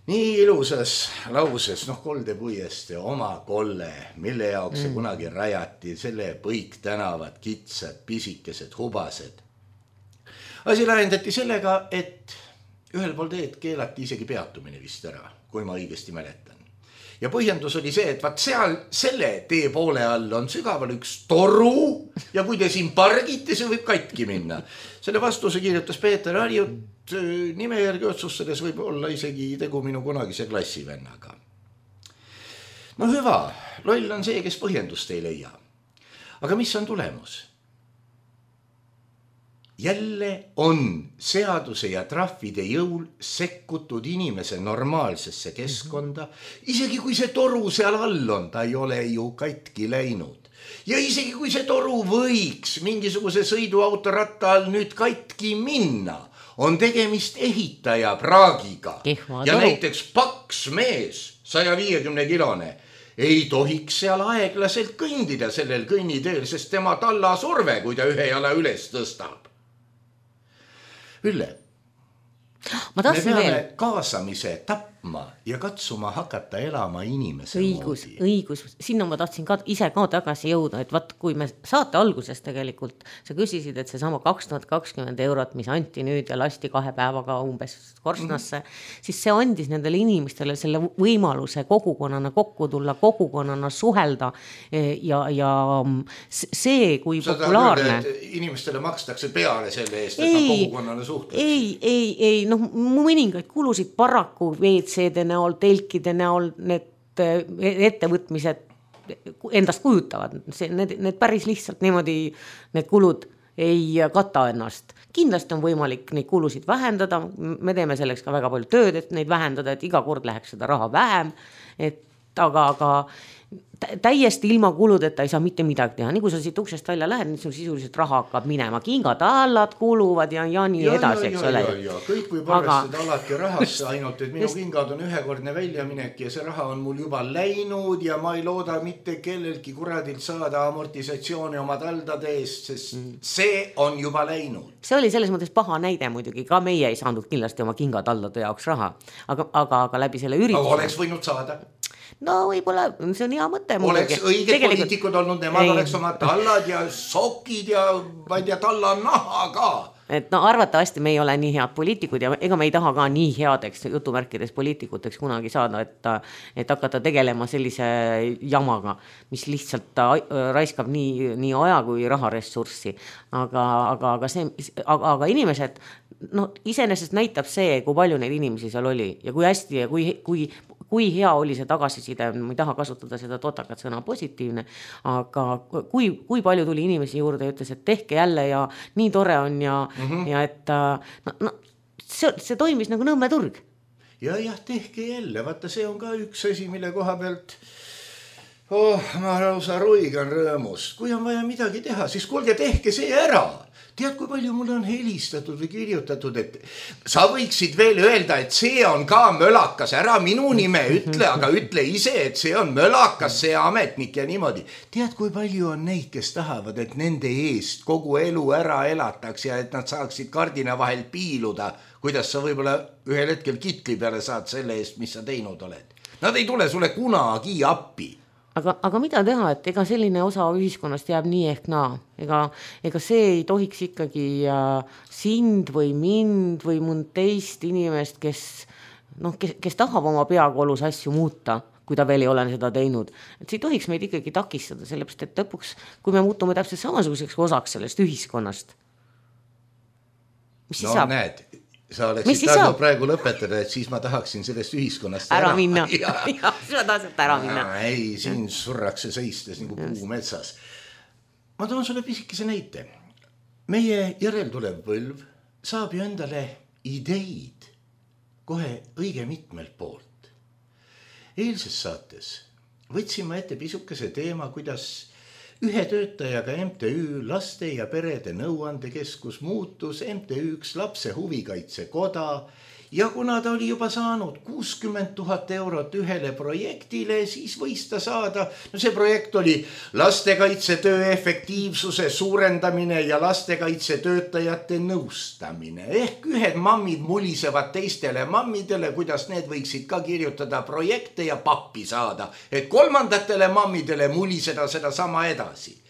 Speaker 5: Nii ilusas lauses, noh Kolde puiestee, oma kolle, mille jaoks see mm. kunagi rajati, selle põik tänavad, kitsad, pisikesed, hubased. Asi lahendati sellega, et ühel pool teed keelati isegi peatumine vist ära, kui ma õigesti mäletan. Ja põhjendus oli see, et vaat seal selle tee poole all on sügaval üks toru ja kui te siin pargite, see võib katki minna. Selle vastuse kirjutas Peeter Harjut, nime järgi otsustades võib olla isegi tegu minu kunagise klassivennaga. No hüva, loll on see, kes põhjendust ei leia. Aga mis on tulemus? Jälle on seaduse ja trahvide jõul sekkutud inimese normaalsesse keskkonda, isegi kui see toru seal all on, ta ei ole ju katki läinud. Ja isegi kui see toru võiks mingisuguse sõiduautoratta all nüüd katki minna, on tegemist ehitaja praagiga.
Speaker 4: Kehva
Speaker 5: ja
Speaker 4: toru.
Speaker 5: Näiteks paks mees, saja viiekümne kilone, ei tohiks seal aeglaselt kõndida sellel kõnniteel, sest tema talla surve, kui ta ühe jala üles tõstab. Ülle,
Speaker 4: ma
Speaker 5: me peame
Speaker 4: veel.
Speaker 5: kaasamise tapma ja katsuma hakata elama inimese
Speaker 4: õigus,
Speaker 5: moodi.
Speaker 4: õigus, sinna ma tahtsin ka ise ka tagasi jõuda, et vaat kui me saate alguses tegelikult, sa küsisid, et see sama kaks tuhat kakskümmend eurot, mis anti nüüd ja lasti kahe päevaga umbes korsnasse, mm-hmm. siis see andis nendele inimestele selle võimaluse kogukonnana kokku tulla, kogukonnana suhelda ja, ja see, kui
Speaker 5: Sa
Speaker 4: populaarne.
Speaker 5: Küll, et inimestele makstakse peale selle eest, et nad kogukonnale suhtleks.
Speaker 4: Ei, ei, ei, noh, mõningaid kulusid paraku V C-de näol, telkide näol need ettevõtmised endast kujutavad. See, need, need päris lihtsalt niimoodi, need kulud ei kata ennast. Kindlasti on võimalik neid kulusid vähendada, me teeme selleks ka väga palju tööd, et neid vähendada, et iga kord läheks seda raha vähem, et aga, aga täiesti ilma kuludeta ei saa mitte midagi teha. Nii kui sa siit uksest välja lähed, nii sisuliselt raha hakkab minema. Kingatallad kuluvad ja, ja nii ja, edasi.
Speaker 5: Ja, ja, ja, ja. Kõik võib aga... arvestada alati rahasse, ainult et minu just... kingad on ühekordne väljaminek ja see raha on mul juba läinud ja ma ei looda mitte kellelgi kuradilt saada amortisatsiooni oma taldade eest, sest mm. see on juba läinud.
Speaker 4: See oli selles mõttes paha näide muidugi, ka meie ei saanud kindlasti oma kingataldade jaoks raha, aga, aga, aga läbi selle ürituse.
Speaker 5: Aga oleks võinud saada.
Speaker 4: No võib-olla, see on hea mõte.
Speaker 5: Oleks õiged Tegelikult... poliitikud olnud, nemad ei. Oleks oma tallad ja sokid ja ma ei tea, talla naha ka.
Speaker 4: Et no arvatavasti me ei ole nii head poliitikud ja ega me ei taha ka nii headeks jutumärkides poliitikuteks kunagi saada, et, et hakata tegelema sellise jamaga, mis lihtsalt raiskab nii, nii aja kui raharessurssi. Aga, aga, aga, see, aga, aga inimesed, no iseenesest näitab see, kui palju neid inimesi seal oli ja kui hästi ja kui, kui kui hea oli see tagasiside, ma ei taha kasutada seda totakat sõna positiivne, aga kui, kui palju tuli inimesi juurde ja ütles, et tehke jälle ja nii tore on ja, mm-hmm. ja et no, no, see, see toimis nagu Nõmme turg.
Speaker 5: Ja jah, tehke jälle, vaata see on ka üks asi, mille koha pealt oh, ma lausa ruigan rõõmust. Kui on vaja midagi teha, siis kuulge, tehke see ära. Tead, kui palju mulle on helistatud või kirjutatud, et sa võiksid veel öelda, et see on ka mölakas, ära minu nime ütle, aga ütle ise, et see on mölakas, see ametnik ja niimoodi. Tead, kui palju on neid, kes tahavad, et nende eest kogu elu ära elataks ja et nad saaksid kardina vahel piiluda, kuidas sa võib-olla ühel hetkel kitli peale saad selle eest, mis sa teinud oled. Nad ei tule sulle kunagi appi.
Speaker 4: Aga, aga mida teha, et ega selline osa ühiskonnast jääb nii ehk naa. Ega, ega see ei tohiks ikkagi sind või mind või mõnd teist inimest, kes, noh, kes, kes tahab oma peakolus asju muuta, kui ta veel ei ole seda teinud. Et see ei tohiks meid ikkagi takistada, sellepärast, et lõpuks, kui me muutume täpselt samasuguseks osaks sellest ühiskonnast. Mis
Speaker 5: no
Speaker 4: saab?
Speaker 5: Näed, sa oleksid tahtnud praegu lõpetada, et siis ma tahaksin sellest ühiskonnast
Speaker 4: ära, ära minna.
Speaker 5: Ja,
Speaker 4: ja, siis ma tahaksin ära minna.
Speaker 5: Ei, siin surrakse seistes nagu puu metsas. Ma toon sulle pisikese näite. Meie järeltulev põlv saab ju endale ideid kohe õige mitmelt poolt. Eilses saates võtsin ma ette pisukese teema, kuidas ühe töötajaga M T Ü laste ja perede nõuandekeskus muutus M T Ü-ks lapse huvikaitsekoda ja kuna ta oli juba saanud kuuskümmend tuhat eurot ühele projektile, siis võis ta saada, no see projekt oli lastekaitsetöö efektiivsuse suurendamine ja lastekaitsetöötajate nõustamine. Ehk ühed mammid mulisevad teistele mammidele, kuidas need võiksid ka kirjutada projekte ja pappi saada, et kolmandatele mammidele muliseda seda sama edasi.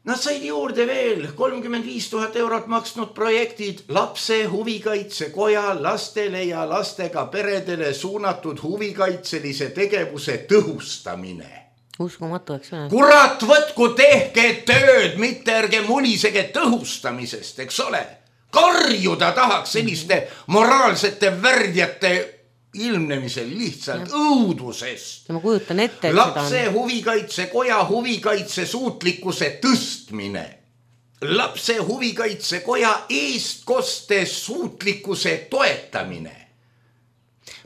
Speaker 5: Nad said juurde veel kolmkümmend viis tuhat eurot maksnud projektid lapse huvikaitsekoja lastele ja lastega peredele suunatud huvikaitselise tegevuse tõhustamine.
Speaker 4: Uskumatu, eks ole.
Speaker 5: Kurat, võtku tehke tööd, mitte ärge mulisege tõhustamisest, eks ole. Karjuda tahaks selliste moraalsete värdjate ilmnemisel lihtsalt õudusest.
Speaker 4: Ma kujutan ette, et
Speaker 5: lapse
Speaker 4: seda on...
Speaker 5: huvikaitsekoja huvikaitse suutlikkuse tõstmine. Lapse huvikaitsekoja eestkoste suutlikkuse toetamine.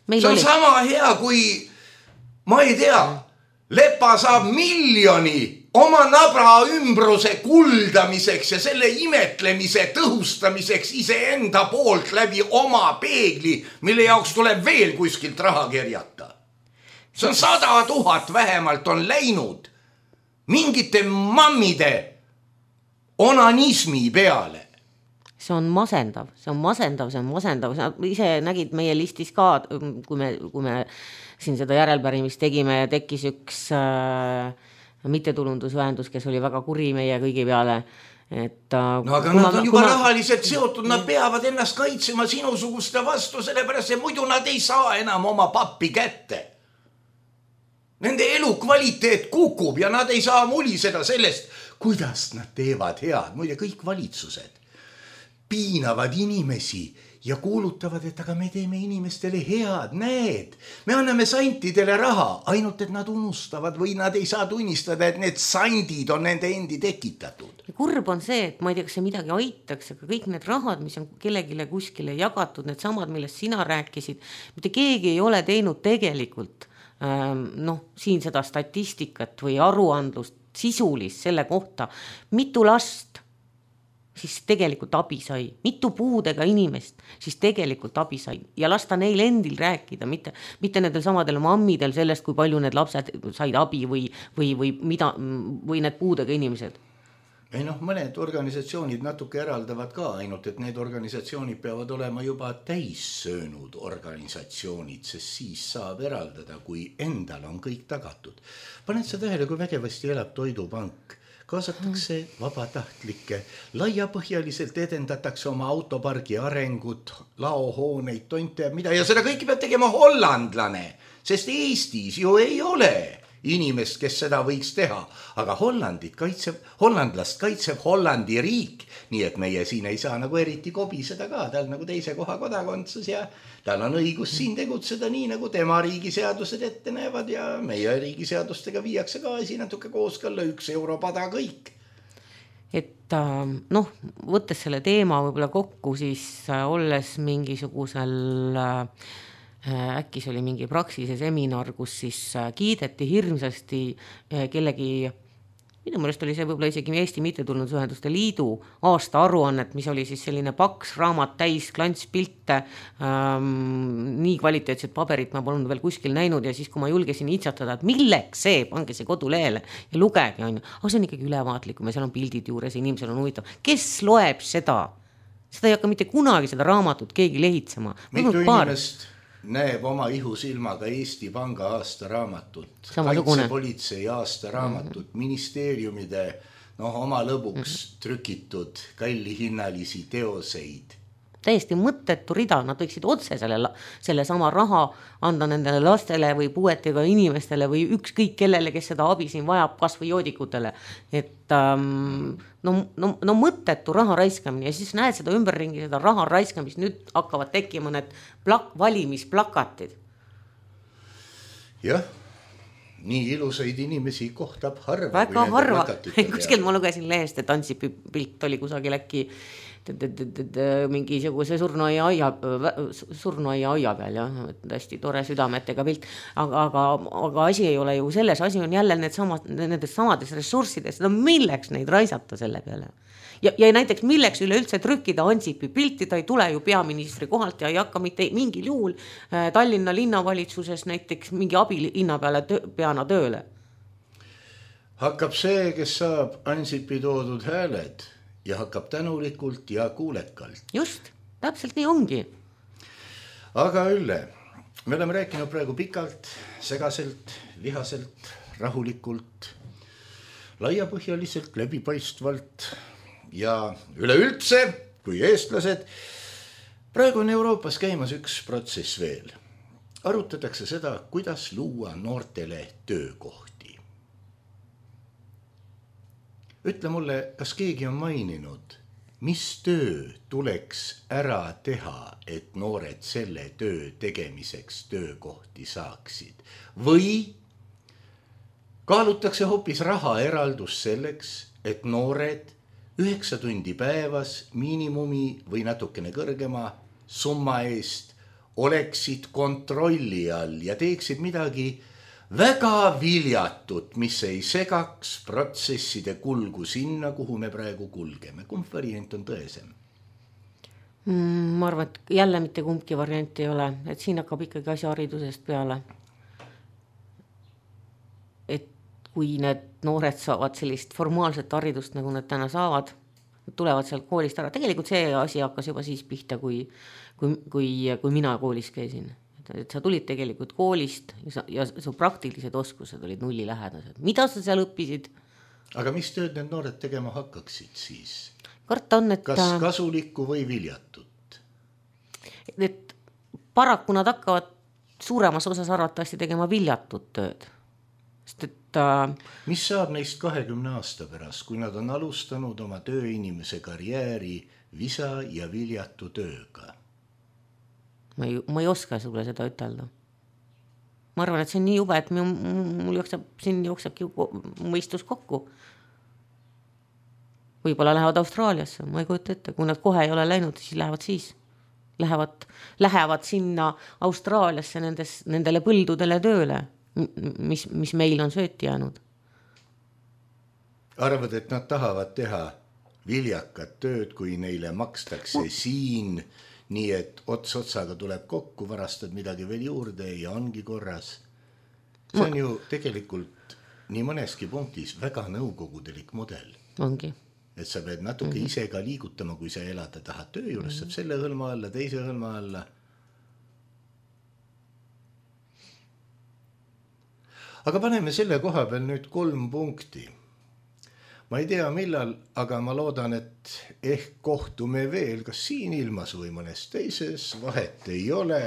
Speaker 5: Meil see on oli... sama hea, kui ma ei tea, Lepa saab miljoni oma nabra ümbruse kuldamiseks ja selle imetlemise tõhustamiseks iseenda poolt läbi oma peegli, mille jaoks tuleb veel kuskilt raha kerjata. See on sada tuhat vähemalt on läinud mingite mammide onanismi peale.
Speaker 4: See on masendav, see on masendav, see on masendav. Sa ise nägid meie listis ka, kui me, kui me siin seda järelpärimist tegime ja tekkis üks äh, mittetulundusühendus, kes oli väga kuri meie kõigi peale. Et, äh,
Speaker 5: no aga nad on juba ma... rahaliselt seotud, nad peavad ennast kaitsema sinusuguste vastu, sellepärast et muidu nad ei saa enam oma pappi kätte. Nende elukvaliteet kukub ja nad ei saa muliseda sellest, kuidas nad teevad head. Muide, kõik valitsused piinavad inimesi ja kuulutavad, et aga me teeme inimestele head, näed. Me anname santidele raha, ainult et nad unustavad või nad ei saa tunnistada, et need sandid on nende endi tekitatud.
Speaker 4: Ja kurb on see, et ma ei tea, kas see midagi aitaks, aga kõik need rahad, mis on kellegile kuskile jagatud, need samad, millest sina rääkisid, mitte keegi ei ole teinud tegelikult ähm, noh, siin seda statistikat või aruandlust sisulist selle kohta, mitu last siis tegelikult abi sai, mitu puudega inimest siis tegelikult abi sai ja lasta neil endil rääkida, mitte, mitte nendel samadel mammidel sellest, kui palju need lapsed said abi või, või, või, mida, või need puudega inimesed.
Speaker 5: Ei noh, mõned organisatsioonid natuke eraldavad ka, ainult et need organisatsioonid peavad olema juba täissöönud organisatsioonid, sest siis saab eraldada, kui endal on kõik tagatud. Paned sa tähele, kui vägevasti elab Toidupank. Kaasatakse vabatahtlikke, laiapõhjaliselt edendatakse oma autopargi arengut, laohooneid, tonte ja mida, ja seda kõiki peab tegema hollandlane, sest Eestis ju ei ole inimest, kes seda võiks teha, aga Hollandit kaitseb, hollandlast kaitseb Hollandi riik, nii et meie siin ei saa nagu eriti kobiseda ka, tal nagu teise koha kodakondsus ja tal on õigus siin tegutseda nii, nagu tema riigiseadused ette näevad ja meie riigiseadustega viiakse ka asi natuke kooskõlla, üks europada kõik.
Speaker 4: Et noh, võttes selle teema võib-olla kokku, siis olles mingisugusel äkki see oli mingi praksise seminar, kus siis kiideti hirmsasti kellegi, minu mõelest oli see võib-olla isegi Eesti Mittetulundusühenduste Liidu aasta aruannet, mis oli siis selline paks raamat täis klantspilte, ähm, nii kvaliteetset paberit ma polnud veel kuskil näinud ja siis, kui ma julgesin itsatada, et milleks see, pange see kodulehele ja lugege, on ju. Aga see on ikkagi ülevaatlikum ja seal on pildid juures ja inimesel on huvitav. Kes loeb seda? Seda ei hakka mitte kunagi seda raamatut keegi lehitsema.
Speaker 5: Mitu inimest näeb oma ihusilmaga Eesti Panga aastaraamatut, kaitsepolitsei aastaraamatut, mm-hmm. ministeeriumide no, oma lõbuks mm-hmm. trükitud kallihinnalisi teoseid.
Speaker 4: täiesti mõttetu rida, nad võiksid otse selle, selle sama raha anda nendele lastele või puuetega inimestele või ükskõik kellele, kes seda abi siin vajab, kas või joodikutele. Et ähm, no, no, no mõttetu raha raiskamine ja siis näed seda ümberringi, seda raha raiskamist, nüüd hakkavad tekkima need plak- valimisplakatid.
Speaker 5: Jah, nii ilusaid inimesi kohtab harva.
Speaker 4: Väga harva. Kuskil ma lugesin lehest, et Ansipi pilt oli kusagil äkki mingisuguse surnuaia aia, surnuaia aia peal, jah, hästi tore südametega pilt, aga, aga, aga asi ei ole ju selles, asi on jälle need samad, nendes samades ressurssides, no milleks neid raisata selle peale? Ja, ja näiteks milleks üleüldse trükkida Ansipi pilti, ta ei tule ju peaministri kohalt ja ei hakka mitte mingil juhul Tallinna linnavalitsuses näiteks mingi abilinna peale töö, peana tööle.
Speaker 5: Hakkab see, kes saab Ansipi toodud hääled ja hakkab tänulikult ja kuulekalt.
Speaker 4: Just, täpselt nii ongi.
Speaker 5: Aga Ülle, me oleme rääkinud praegu pikalt, segaselt, vihaselt, rahulikult, laiapõhjaliselt, läbipaistvalt ja üleüldse, kui eestlased. Praegu on Euroopas käimas üks protsess veel. Arutatakse seda, kuidas luua noortele töökohti. Ütle mulle, kas keegi on maininud, mis töö tuleks ära teha, et noored selle töö tegemiseks töökohti saaksid? Või kaalutakse hoopis raha eraldus selleks, et noored üheksa tundi päevas miinimumi või natukene kõrgema summa eest oleksid kontrolli all ja teeksid midagi väga viljatut, mis ei segaks protsesside kulgu sinna, kuhu me praegu kulgeme. Kumb variant on tõesem?
Speaker 4: Mm, ma arvan, et jälle mitte kumbki variant ei ole, et siin hakkab ikkagi asja haridusest peale. Et kui need noored saavad sellist formaalset haridust, nagu nad täna saavad, tulevad sealt koolist ära. Tegelikult see asi hakkas juba siis pihta, kui, kui, kui, kui mina koolis käisin. Et sa tulid tegelikult koolist ja, sa, ja su praktilised oskused olid nulli lähedased. Mida sa seal õppisid?
Speaker 5: Aga mis tööd need noored tegema hakkaksid siis?
Speaker 4: Karta on, et...
Speaker 5: Kas kasulikku või viljatut?
Speaker 4: Et paraku nad hakkavad suuremas osas arvatavasti tegema viljatut tööd. Sest et...
Speaker 5: Mis saab neist kahekümne aasta pärast, kui nad on alustanud oma tööinimese karjääri visa ja viljatu tööga?
Speaker 4: Ma ei, ma ei oska sulle seda ütelda. Ma arvan, et see on nii jube, et mul, mul jookseb, siin jooksebki mõistus kokku. Võib-olla lähevad Austraaliasse, ma ei kujuta ette. Kui nad kohe ei ole läinud, siis lähevad siis. Lähevad, lähevad sinna Austraaliasse nendes, nendele põldudele tööle, mis, mis meil on sööti jäänud.
Speaker 5: Arvad, et nad tahavad teha viljakat tööd, kui neile makstakse no. siin... Nii et ots otsaga tuleb kokku, varastad midagi veel juurde ja ongi korras. See on ju tegelikult nii mõneski punktis väga nõukogudelik model.
Speaker 4: Ongi.
Speaker 5: Et sa pead natuke mm-hmm. ise ka liigutama, kui sa elada tahad töö juures, saab selle hõlma alla, teise hõlma alla. Aga paneme selle koha peal nüüd kolm punkti. Ma ei tea millal, aga ma loodan, et ehk kohtume veel, kas siin ilmas või mõnes teises, vahet ei ole.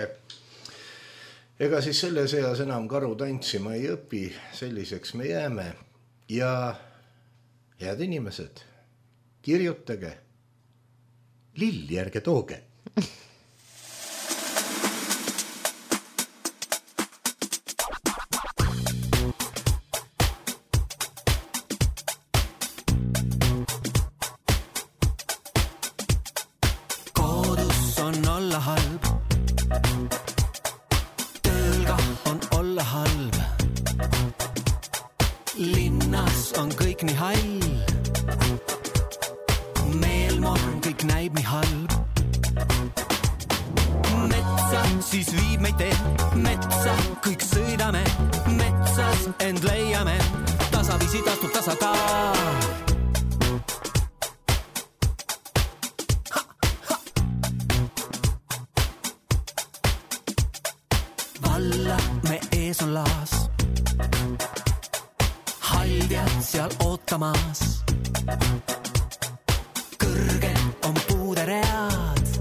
Speaker 5: Ega siis selle seas enam karu tantsima ei õpi, selliseks me jääme. Ja head inimesed, kirjutage, lilli ärge tooge.
Speaker 6: Valla me ees on laas, haldjad seal ootamas. Kõrgel on puuderead,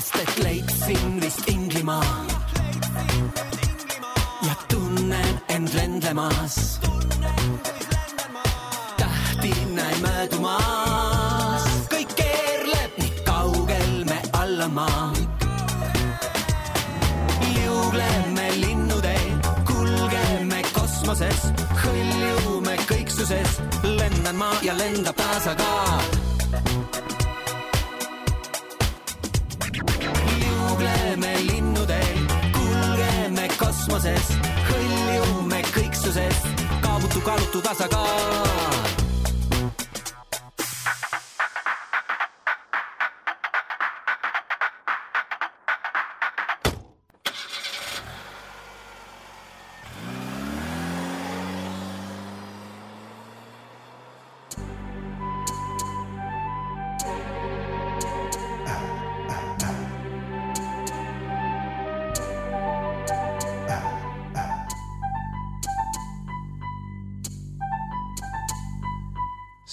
Speaker 6: sest et leidsin vist Inglimaa ja tunnen end lendlemas. Tähti näin möödumas, kõik keerleb, nii kaugel me all on maa. Liugleme linnuteel, kulgeme kosmoses, hõljume kõiksuses, lendan maa ja lendab taasa ka. Liugleme linnuteel, kulgeme kosmoses, hõljume kõiksuses, kaabutu kaalutu tasakaal.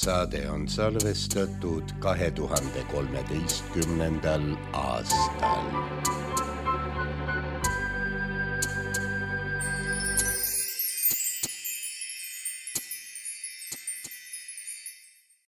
Speaker 3: Saade on salvestatud kahe tuhande kolmeteistkümnendal aastal.